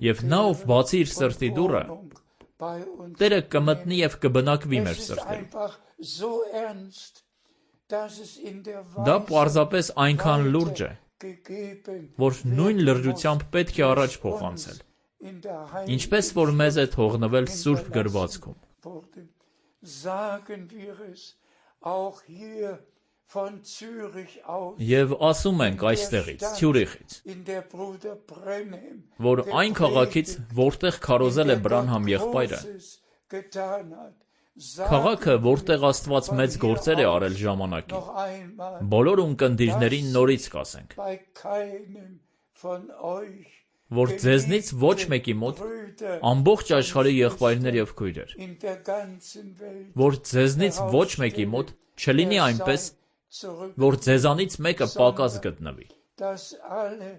Եվ նա, ով բացի իր սրտի դուռը, Տերը կմտնի և կբնակվի մեր սրտերում։ Դա պարզապես այնքան լուրջ է, որ նույն լրջությամբ պետք է առաջ փոխանցել, ինչպես որ մեզ է թողնվել Սուրբ գրվածքում։ von Zürich aus, Եվ ասում ենք այստեղից, Ցյուրիխից, in der Bruder Brenhem որ այն քաղաքից, որտեղ քարոզել է Բրանհամ եղբայրը, Großes getan hat. քաղաքը, որտեղ Աստված մեծ գործեր է արել ժամանակին, Noch einmal, բոլոր ունկնդիրներին նորից կասենք, bei keinem von euch, որ ձեզնից ոչ մեկի մոտ, Brüder ամբողջ աշխարհի եղբայրներ եւ քույրեր, in der ganzen Welt, որ ձեզնից ոչ մեկի մոտ չլինի այնպես, zurück, որ ձեզանից մեկը պակաս գտնվի, dass alle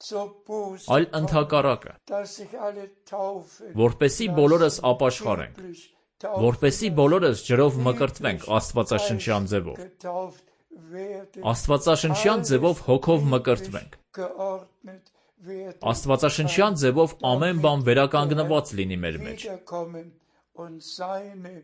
zur Buße այլ ընդհակառակը, dass sich alle taufen, որպեսի բոլորս ապաշխարենք, wirklich որպեսի բոլորս ջրով մկրտվենք Աստվածաշնչյան ձևով, getauft werden, Աստվածաշնչյան ձևով հոգով մկրտվենք, geordnet werden, Աստվածաշնչյան ձևով ամեն բան վերականգնված լինի մեր մեջ, wiederkommen und seine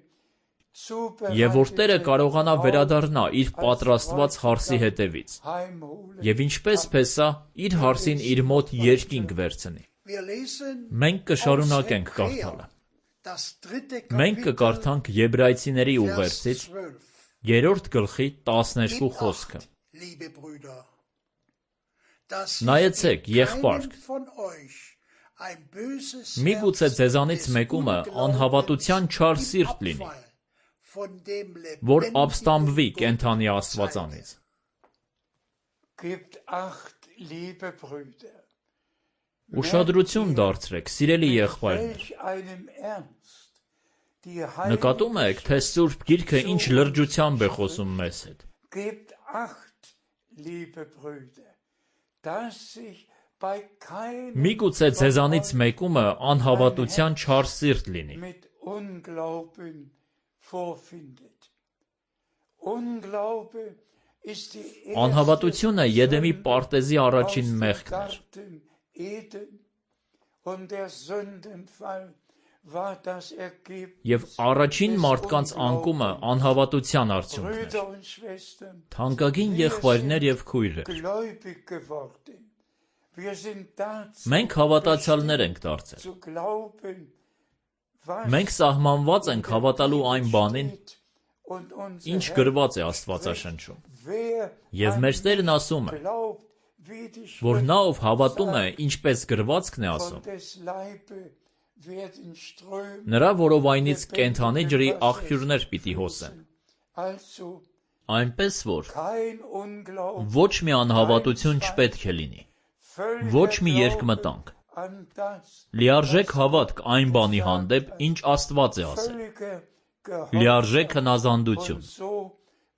եւ որ Տերը կարողանա վերադառնա իր պատրաստված հարսի հետևից, heimholen. եւ ինչպես Փեսա իր հարսին իր մոտ երկինք վերցնի։ Wir lesen Մենք կշարունակենք aus կարդալը։ Hebräer, das dritte Մենք Kapitel, կկարդանք Եբրայեցիների Vers ուղերձից zwölf. երրորդ գլխի տասներկու Gebt խոսքը։ acht, liebe Brüder, dass Նայեցեք, sich in եղբայր, keinem von euch ein böses Միգուցե Herz ձեզանից des մեկումը Unglaubens անհավատության չար im սիրտ լինի, Abfall von dem որ lebendigen ապստամբվի Gott կենթանի zeige. Աստվածանից։ Gebt acht, liebe Brüder. Ուշադրություն դարձրեք, սիրելի եղբայրներ։ Welch einem Ernst die Նկատում եք, թե Սուրբ Գիրքը ինչ լրջությամբ է խոսում մեզ հետ։ Gebt acht, liebe Brüder, dass sich bei keinem Միգուցե ձեզանից մեկումը անհավատության չար սիրտ լինի։ mit Unglauben vorfindet. Unglaube ist die erste Անհավատությունը Եդեմի Sünde պարտեզի aus առաջին dem մեղքն էր։ Garten Eden und der Sündenfall war das Ergebnis. Եվ առաջին մարդկանց անկումը անհավատության արդյունքն էր։ Brüder und Schwestern, Թանկագին եղբայրներ եւ քույրեր, gläubig geworden. Wir sind dazu մենք հավատացյալներ ենք դարձել։ zu glauben, was Մենք սահմանված ենք հավատալու այն բանին, steht und unser ինչ Herr գրված է Աստվածաշնչում։ wer Եվ an մեր Տերն ihn ասում է, glaubt, wie die որ Schrift նա ով հավատում է, sagt, ինչպես գրվածքն է von ասում, des Leibe werden Ströme նրա որովայնից կենթանի ջրի աղբյուրներ պիտի հոսեն։ Also Այնպես որ kein Unglaube, ոչ մի անհավատություն չպետք է լինի, völliger ոչ մի Glaube երկմտանք, an das, լիարժեք հավատք այն բանի հանդեպ, ինչ Աստված է ասել, völliger Gehorsam. լիարժեք հնազանդություն, Und so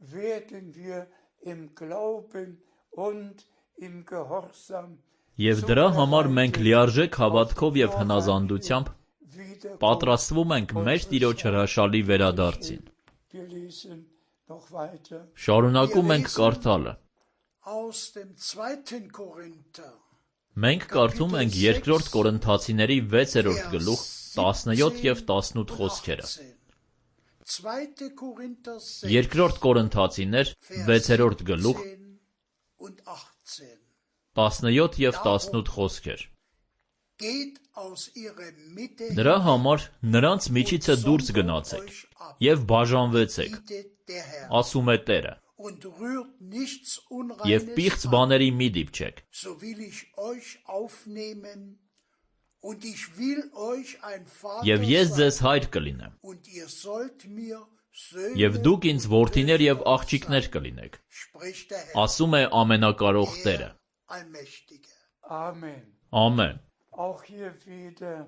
werden wir im Glauben und im Gehorsam եւ դրա համար մենք լիարժեք հավատքով եւ հնազանդությամբ wieder պատրաստվում ենք մեր Տիրոջ հրաշալի վերադարձին։ Wir lesen noch weiter. Շարունակում ենք կարդալը։ Aus dem zweiten Korinther, Մենք կարդում ենք երկրորդ Կորինթացիների վեցերորդ գլուխ տասնյոթ եւ տասնութ խոսքերը։ zweite Korinther sechs, Երկրորդ Կորինթացիներ վեցերորդ գլուխ und achtzehn. տասնյոթ եւ տասնութ խոսքեր։ Geht aus ihrer Mitte Դրա համար նրանց միջիցը դուրս գնացեք եւ բաժանվեցեք, bietet der Herr, ասում է Տերը, und rührt nichts եւ Unreines պիղծ an, բաների մի դիպչեք, so will ich euch aufnehmen, und ich will euch ein Vater եւ ես sein, ձեզ հայր կլինեմ, und ihr sollt mir Söhne եւ դուք ինձ und որդիներ եւ Töchter աղջիկներ sein, կլինեք, spricht der Herr, ասում է ամենակարող Տերը։ der Allmächtige. Amen. Ամեն։ Auch hier wieder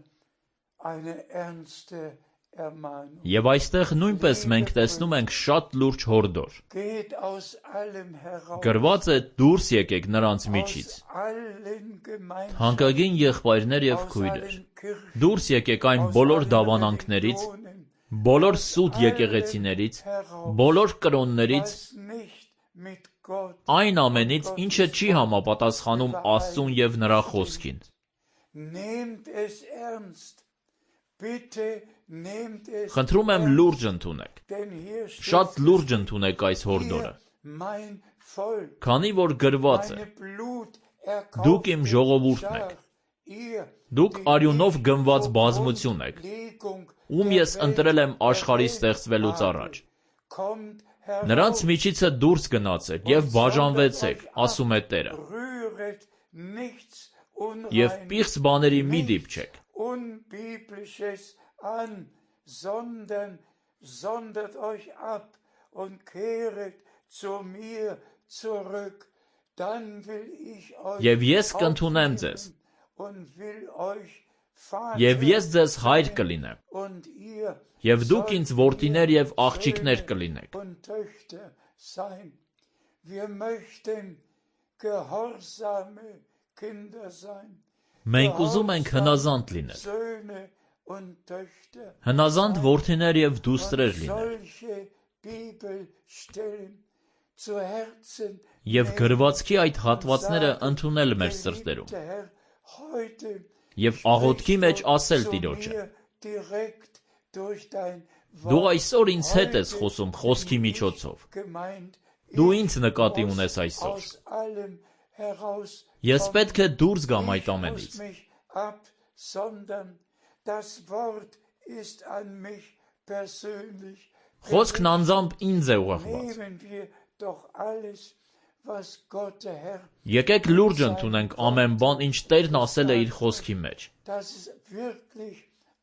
eine ernste Ermahnung. Եւ այստեղ նույնպես մենք տեսնում ենք շատ լուրջ հորդոր։ Geht aus allem heraus, Գրված է դուրս եկեք նրանց միջից։ aus allen Gemeinschaften, Հանկագին եղբայրներ եւ aus քույրեր, allen Kirchen, դուրս եկեք այն aus բոլոր allen դավանանքներից, Religionen, բոլոր սուտ եկեղեցիներից, բոլոր կրոններից, was nicht mit Gott, այն ամենից, ինչը չի համապատասխանում Աստծուն եւ նրա խոսքին։ nehmt es ernst, bitte nehmt es Խնդրում եմ լուրջ ընդունեք։ denn hier steht Շատ լուրջ ընդունեք այս հորդորը, mein Volk, քանի որ գրված է. meine Blut Դուք իմ ժողովուրդն եք, դուք արյունով գնված բազմություն եք, ում ես ընտրել եմ աշխարհի ստեղծվելուց առաջ։ Նրանց միջիցը դուրս գնացեք և բաժանվեցեք, ասում է Տերը, և պիղծ բաների մի դիպչեք, sondert euch ab und kehret zu mir zurück, dann will ich euch և ես կընդունեմ ձեզ, und will euch և ես ձեզ հայր կլինեմ, und ihr և դուք ինձ որդիներ և աղջիկներ կլինեք։ und Töchter sein. Wir möchten gehorsame Kinder sein. Մենք ուզում ենք հնազանդ լինել, Söhne und Töchter. հնազանդ որդիներ և դուստրեր լինել, Solche Bibelstellen zu Herzen և գրվածքի այդ հատվածները ընդունել մեր սրտերում, der Herr heute և աղոթքի մեջ ասել Տիրոջը. mir direkt durch dein Դու այսօր ինձ հետ ես խոսում խոսքի միջոցով, gemeint. դու ինձ նկատի ունես այսօր, Aus allem heraus ես պետք է դուրս գամ այդ ամենից, mich ab, sondern das Wort ist an mich persönlich. խոսքն անձամբ ինձ է ուղղված, Nehmen wir doch alles, was Gott der Herr, եկեք լուրջ ընդունենք ամեն բան, ինչ Տերն ասել է իր խոսքի մեջ, dass es wirklich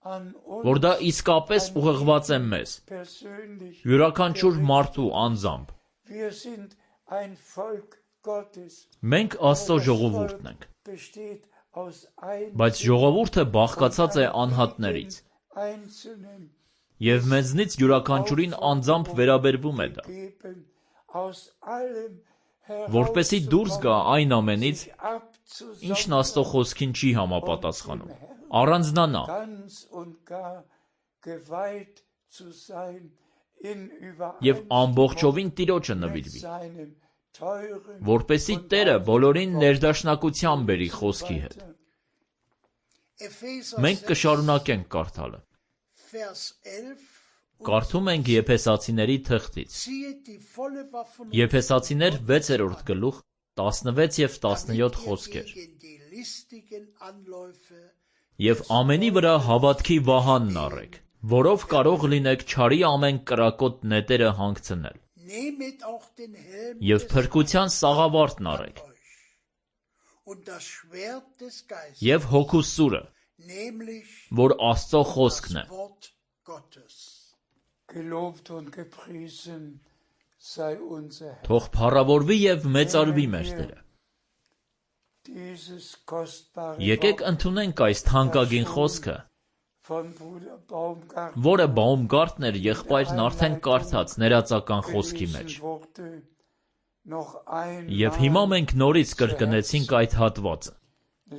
an uns որ դա իսկապես ուղղված է մեզ, persönlich. յուրաքանչյուր մարդու անձամբ, Wir sind ein Volk Gottes. մենք Աստծո ժողովուրդն ենք, Besteht aus ein բայց ժողովուրդը բաղկացած է անհատներից, einzelnen և մեզնից յուրաքանչյուրին անձամբ վերաբերվում է դա, geben, aus allem որպեսի դուրս գա այն ամենից, abzusammeln, ինչն Աստծո խոսքին չի համապատասխանում, առանձնանա ganz und gar geweiht zu sein in և ամբողջովին Տիրոջը նվիրվի, seinem teuren որպեսի Տերը բոլորին ներդաշնակության բերի խոսքի հետ։ Մենք կշարունակենք կարդալը։ Կարդում ենք Եփեսացիների թղթից։ Եփեսացիներ վեցերորդ գլուխ տասնվեց և տասնյոթ խոսքեր։ Եվ ամենի վրա հավատքի վահանն առեք, որով կարող լինեք չարի ամեն կրակոտ նետերը հանգցնել։ Եվ փրկության սաղավարտն առեք։ Եվ հոգու սուրը, որ Աստծո խոսքն է։ Gelobt und gepriesen sei unser Herr. Թող փառավորվի և մեծարվի մեր Տերը։ Dieses kostbare Եկեք ընդունենք այս թանկագին խոսքը, von Bruder Baumgarten որը Բաումգարտներ եղբայրն արդեն կարդաց ներածական խոսքի մեջ։ wurde noch ein Եվ հիմա մենք նորից կրկնեցինք այդ հատվածը։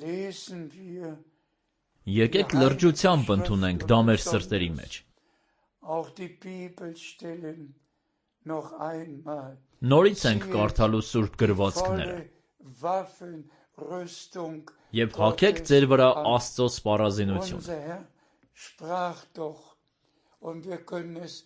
lesen wir Եկեք լրջությամբ ընդունենք դա մեր սրտերի մեջ։ auch die Bibelstellen noch einmal. Նորից ենք կարդալու սուրբ գրվածքները Waffen, Rüstung. և հագեք ձեր վրա Աստծո սպառազինությունը։ Unser Herr sprach doch und wir können es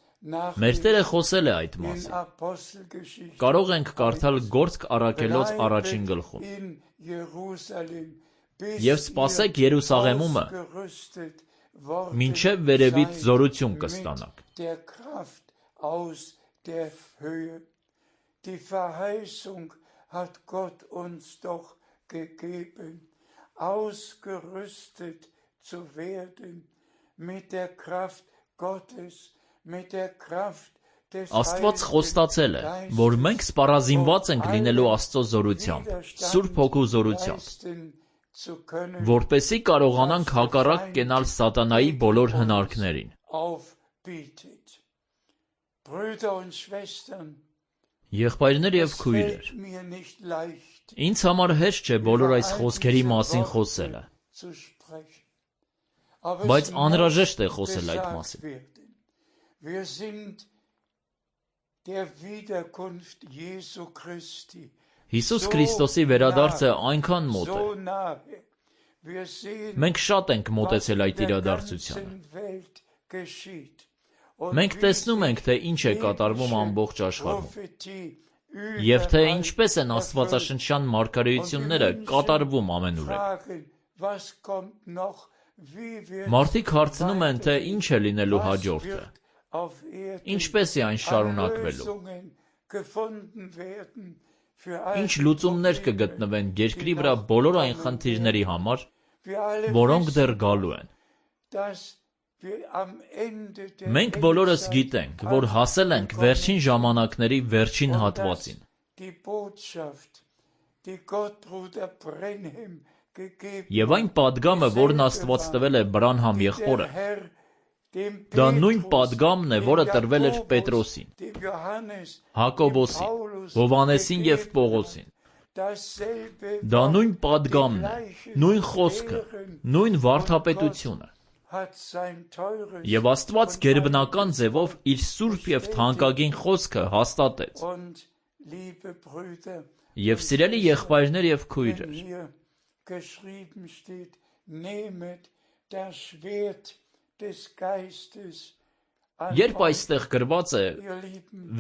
Մեր Տերը խոսել է այդ in մասին։ Apostelgeschichte Կարող ենք կարդալ Գործք առաքելոց առաջին գլխում։ in Jerusalem bis Եվ սպասեք Երուսաղեմումը, gerüstet worden մինչև վերևից զորություն կստանաք։ der Kraft aus der Höhe. Die Verheißung hat Gott uns doch gegeben, ausgerüstet zu werden mit der Kraft Gottes, mit der Kraft des Աստված խոստացել է, որ մենք սպառազինված ենք լինելու Աստծո զորությամբ, Սուրբ Հոգու զորությամբ, zu können, որպեսզի կարողանանք հակառակ կենալ սատանայի բոլոր հնարքներին։ aufbietet. Brüder und Schwestern, Եղբայրներ և քույրեր, fällt mir nicht leicht ինձ համար հեշտ չէ բոլոր այս խոսքերի մասին խոսելը, zu sprechen. Aber բայց es անհրաժեշտ է muss խոսել այդ gesagt մասին։ werden. Wir sind der Wiederkunft Jesu Christi Հիսուս Քրիստոսի վերադարձը այնքան մոտ է։ so nahe. Wir sehen, Մենք շատ ենք was մոտեցել in այդ der իրադարձությանը։ ganzen Welt geschieht. Und Մենք wie տեսնում ենք, թե ինչ է կատարվում ամբողջ աշխարհում, և թե ինչպես են աստվածաշնչյան մարգարեությունները կատարվում ամենուրեք։ Մարդիկ հարցնում են, թե ինչ է լինելու հաջորդը, Ինչպես է այն շարունակվելու։ Ինչ լուծումներ կգտնվեն երկրի վրա բոլոր այն խնդիրների համար, որոնք դեռ գալու են։ Մենք բոլորս գիտենք, որ հասել ենք վերջին ժամանակների վերջին հատվածին։ Եվ այն պատգամը, որն Աստված տվել է Բրանհամ եղբորը, դա նույն պատգամն է, որը տրվել էր Պետրոսին, Հակոբոսին, Հովհաննեսին և Պողոսին։ Դա նույն պատգամն է, նույն խոսքը, նույն վարդապետությունը։ Եվ Աստված գերբնական ձևով իր սուրբ և թանկագին խոսքը հաստատեց։ Եվ սիրելի եղբայրներ և քույրեր, երբ այստեղ գրված է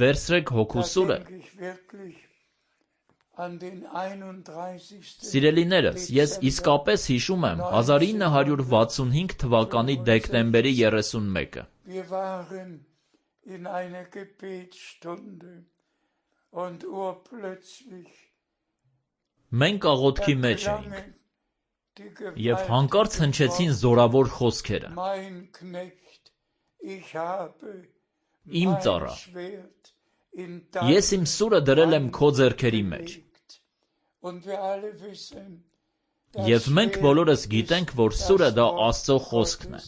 «Վերցրեք հոգու սուրը», սիրելիներս, ես իսկապես հիշում եմ հազար ինը հարյուր վաթսունհինգ թվականի դեկտեմբերի երեսունմեկը։ Մենք աղոթքի մեջ էինք, և հանկարծ հնչեցին զորավոր խոսքերը. «Իմ ծառա, ես իմ սուրը դրել եմ քո ձեռքերի մեջ»։ Եվ մենք բոլորս գիտենք, որ սուրը դա Աստծո խոսքն է։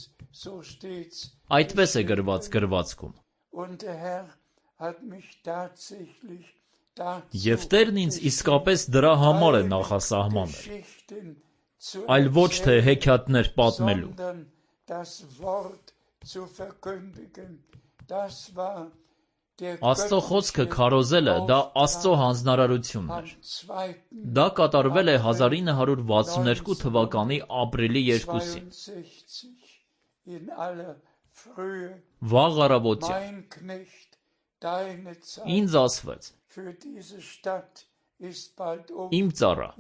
Այդպես է գրված գրվածքում։ Եվ Տերն ինձ իսկապես դրա համար է նախասահմանել, այլ ոչ թե հեքիաթներ պատմելու։ Աստծո խոսքը քարոզելը դա Աստծո հանձնարարությունն էր։ Դա կատարվել է հազար ինը հարյուր վաթսուներկու թվականի ապրիլի երկուսին։ Վաղ առավոտյան ինձ ասվեց. «Իմ ծառա,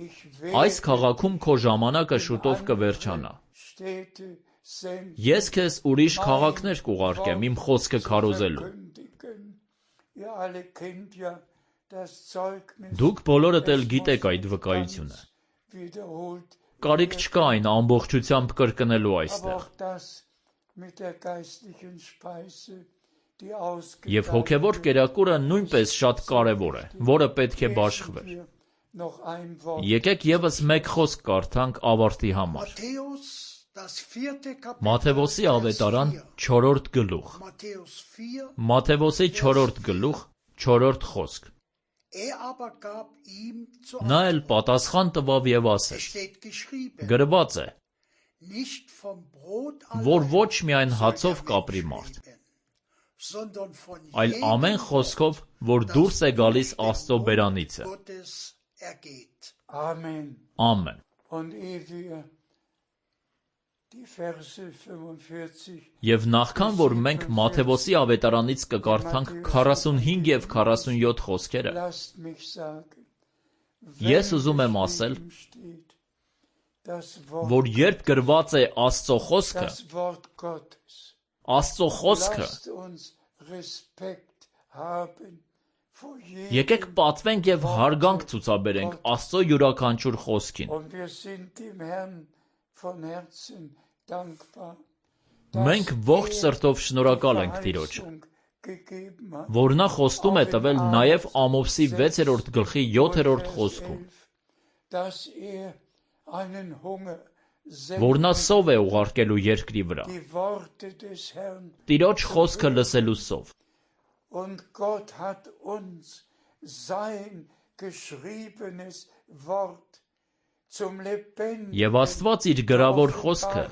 այս քաղաքում քո ժամանակը շուտով կվերջանա։ Ես քեզ ուրիշ քաղաքներ կուղարկեմ իմ խոսքը քարոզելու»։ Դուք բոլորդ էլ գիտեք այդ վկայությունը։ Կարիք չկա այն ամբողջությամբ կրկնելու այստեղ։ Եվ հոգևոր կերակուրը նույնպես շատ կարևոր է, որը պետք է բաշխվեր։ Եկեք ևս մեկ խոսք կարդանք ավարտի համար։ Մատթեոսի ավետարան չորրորդ գլուխ։ Մատթեոսի չորրորդ գլուխ, չորրորդ խոսք։ Նա էլ պատասխան տվավ և ասեց. գրված է, որ ոչ միայն հացով կապրի մարդ, այլ ամեն խոսքով, որ դուրս է գալիս Աստծո բերանիցը։ Ամեն։ Եվ նախքան որ մենք Մատթեոսի ավետարանից կկարդանք քառասունհինգ և քառասունյոթ խոսքերը, ես ուզում եմ ասել, որ երբ գրված է Աստծո խոսքը, Աստծո խոսքը, եկեք պատվենք և հարգանք ցուցաբերենք Աստծո յուրաքանչյուր խոսքին։ Մենք ողջ սրտով շնորհակալ ենք Տիրոջը, որ նա խոստում է տվել նաև Ամովսի վեցերորդ գլխի յոթերորդ խոսքում, որ նա սով է ուղարկելու երկրի վրա, Տիրոջ խոսքը լսելու սով։ Եվ Աստված իր գրավոր խոսքը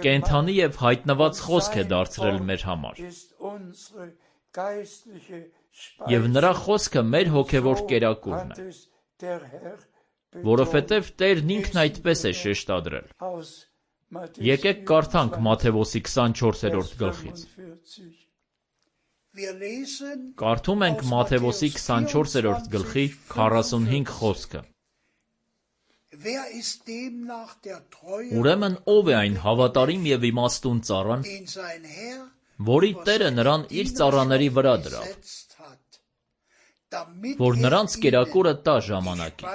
կենդանի և հայտնված խոսք է դարձրել մեր համար։ Եվ նրա խոսքը մեր հոգևոր կերակուրն է, որովհետև Տերն ինքն այդպես է շեշտադրել։ Եկեք կարդանք Մատթեոսի քսանչորսերորդ գլխից։ Կարդում ենք Մատթեոսի քսանչորսերորդ գլխի քառասունհինգ խոսքը։ Ուրեմն ով է այն հավատարիմ և իմաստուն ծառան, որի Տերը նրան իր ծառաների վրա դրավ, որ նրանց կերակուրը տա ժամանակին։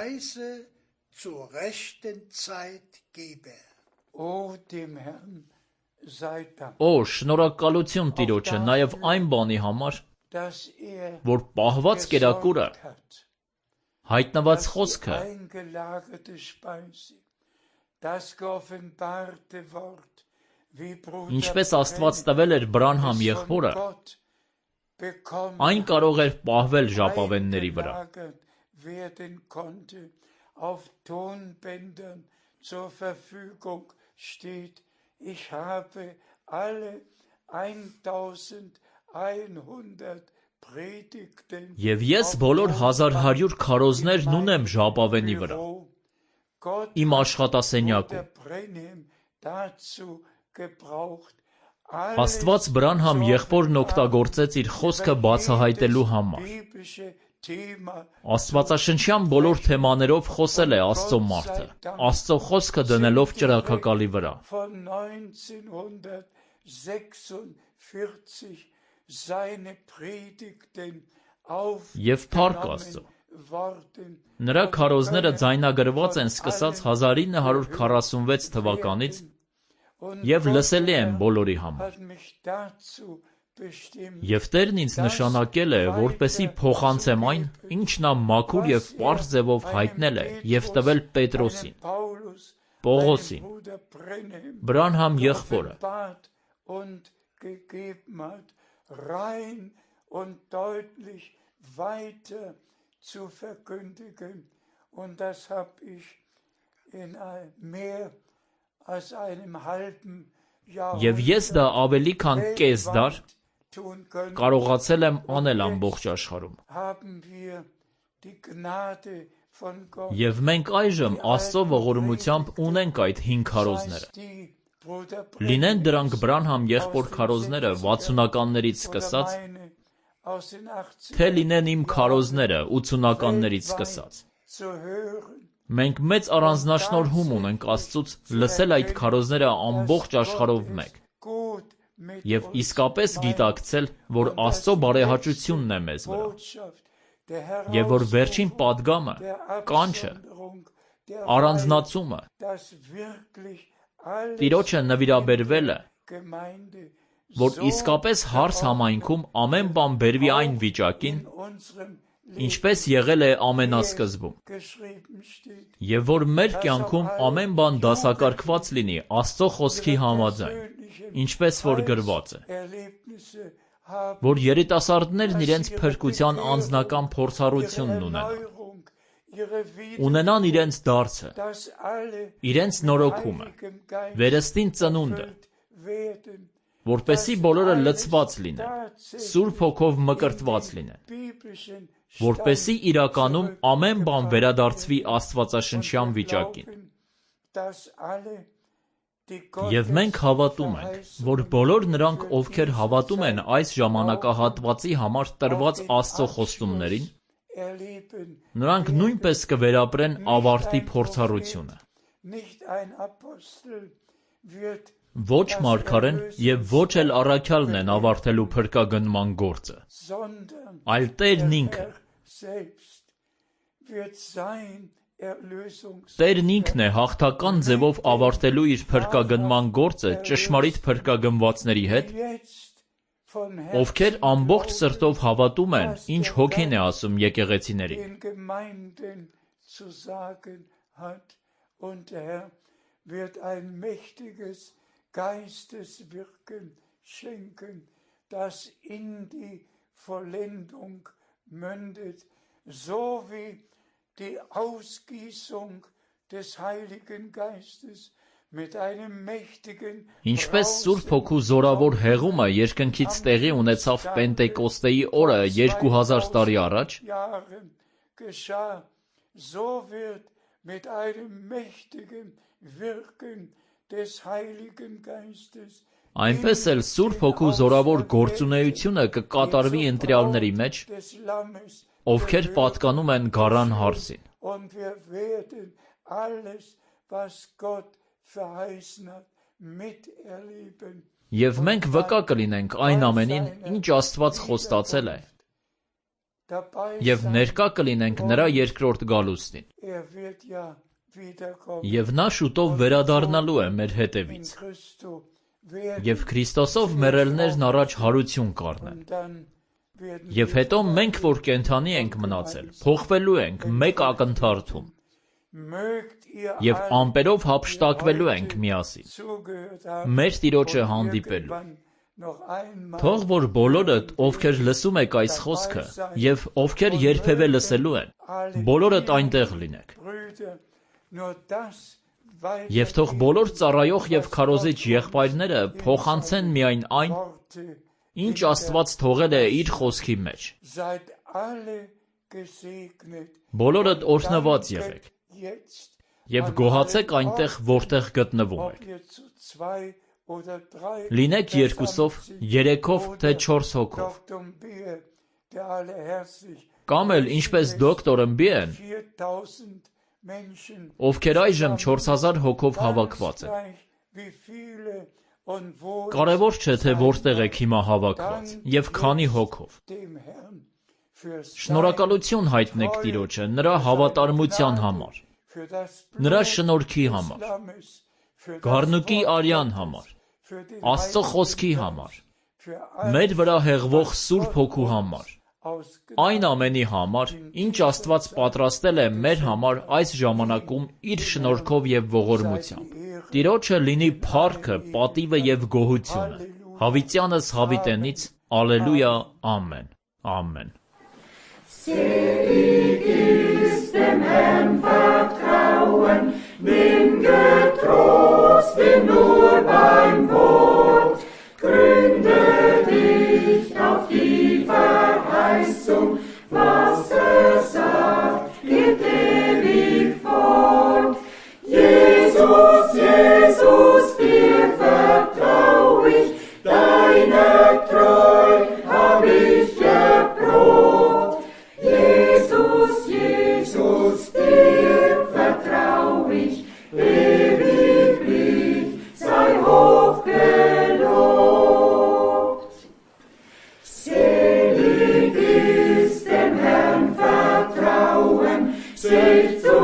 Օ, շնորհակալություն Տիրոջը նաև այն բանի համար, որ պահված կերակուրը, հայտնված խոսքը, ինչպես Աստված տվել էր Բրանհամ եղբորը, այն կարող էր պահվել ժապավենների վրա։ Եվ ես բոլոր հազար հարյուր քարոզներն ունեմ ժապավենի վրա, իմ աշխատասենյակում։ Աստված Բրանհամ եղբորն օգտագործեց իր խոսքը բացահայտելու համար։ Աստվածաշնչյան բոլոր թեմաներով խոսել է Աստծո մարդը, Աստծո խոսքը դնելով ճրագակալի վրա։ Եվ փառք Աստծո, նրա քարոզները ձայնագրված են սկսած հազար ինը հարյուր քառասունվեց թվականից և լսելի են բոլորի համար։ Եվ Տերն ինձ նշանակել է, որպեսզի փոխանցեմ այն, ինչ նա մաքուր և պարզ ձևով հայտնել է և տվել Պետրոսին, Պողոսին, Բրանհամ եղբորը, և ես դա ավելի քան կես դար կարողացել եմ անել ամբողջ աշխարհում։ Եվ մենք այժմ Աստծո ողորմությամբ ունենք այդ հինգ քարոզները։ Լինեն դրանք Բրանհամ եղբոր քարոզները վաթսունականներից սկսած, թե լինեն իմ քարոզները ութսունականներից սկսած։ Մենք մեծ առանձնաշնորհում ունենք Աստծուց լսել այդ քարոզները ամբողջ աշխարհով մեկ և իսկապես գիտակցել, որ Աստծո բարեհաճությունն է մեզ վրա, և որ վերջին պատգամը, կանչը, առանձնացումը, Տիրոջը նվիրաբերվել է, որ իսկապես հարս համայնքում ամեն բան բերվի այն վիճակին, ինչպես եղել է ամենասկզբում, և որ մեր կյանքում ամեն բան դասակարգված լինի Աստծո խոսքի համաձայն, ինչպես որ գրված է, որ երիտասարդներն իրենց փրկության անձնական փորձառությունն ունենան, ունենան իրենց դարձը, իրենց նորոգումը, վերստին ծնունդը, որպեսզի բոլորը լցված լինեն, Սուրբ Հոգով մկրտված լինեն, որպեսզի իրականում ամեն բան վերադարձվի աստվածաշնչյան վիճակին։ Եվ մենք հավատում ենք, որ բոլոր նրանք, ովքեր հավատում են այս ժամանակահատվածի համար տրված Աստծո խոստումներին, նրանք նույնպես կվերապրեն ավարտի փորձառությունը։ Ոչ մարգարեն և ոչ էլ առաքյալն են ավարտելու փրկագնման գործը, այլ Տերն ինքը։ Տերն ինքն է հաղթական ձևով ավարտելու իր փրկագնման գործը ճշմարիտ փրկագնվածների հետ, ովքեր ամբողջ սրտով հավատում են, ինչ Հոգին է ասում եկեղեցիներին։ Die Ausgießung des Heiligen Geistes mit einem mächtigen Ինչպես Սուրբ Հոգու զորավոր հեղումը երկնքից տեղի ունեցավ Պենտեկոստեի օրը երկու հազար տարի առաջ, so wird mit einem mächtigen Wirken des Heiligen Geistes այնպես էլ Սուրբ Հոգու զորավոր գործունեությունը կկատարվի ընտրյալների մեջ, ովքեր պատկանում են գառան հարսին։ Եվ մենք վկա կլինենք այն ամենին, ինչ Աստված խոստացել է, և ներկա կլինենք նրա երկրորդ գալուստին, և նա շուտով վերադառնալու է մեր հետևից, և Քրիստոսով մեռելներն առաջ հարություն կառնեն, և հետո մենք, որ կենդանի ենք մնացել, փոխվելու ենք մեկ ակնթարթում, և ամպերով հափշտակվելու ենք միասին, մեր Տիրոջը հանդիպելու։ Թող որ բոլորդ, ովքեր լսում եք այս խոսքը, և ովքեր երբևէ լսելու են, բոլորդ այնտեղ լինեք։ Եվ թող բոլոր ծառայող և քարոզիչ եղբայրները փոխանցեն միայն այն, ինչ Աստված թողել է իր խոսքի մեջ։ Բոլորդ օրհնված եղեք և գոհացեք այնտեղ, որտեղ գտնվում եք։ Լինեք երկուսով, երեքով, թե չորս հոգով։ Կամ էլ ինչպես դոկտոր Ըմբիեն, ովքեր այժմ չորս հազար հոգով հավաքված են։ Կարևոր չէ, թե որտեղ եք հիմա հավաքված և քանի հոգով։ Շնորհակալություն հայտնեք Տիրոջը նրա հավատարմության համար, նրա շնորհքի համար, գառնուկի արյան համար, Աստծո խոսքի համար, մեր վրա հեղվող Սուրբ Հոգու համար, այն ամենի համար, ինչ Աստված պատրաստել է մեր համար այս ժամանակում իր շնորհքով և ողորմությամբ։ Տիրոջը լինի փառքը, պատիվը և գոհությունը, հավիտյանս հավիտենից, Ալելույա, ամեն, ամեն։ Selig ist dem Herrn vertrauen, nimm getrost ihn nur beim Wort, gründe dich auf die Verheißung, was er sagt, geht ewig fort. Jesus, Jesus, dir vertrau ich, deine Treu hab ich geprobt. Jesus, Jesus, dir vertrau ich, ewiglich sei hoch gelobt. Selig ist dem Herrn vertrauen, sich zu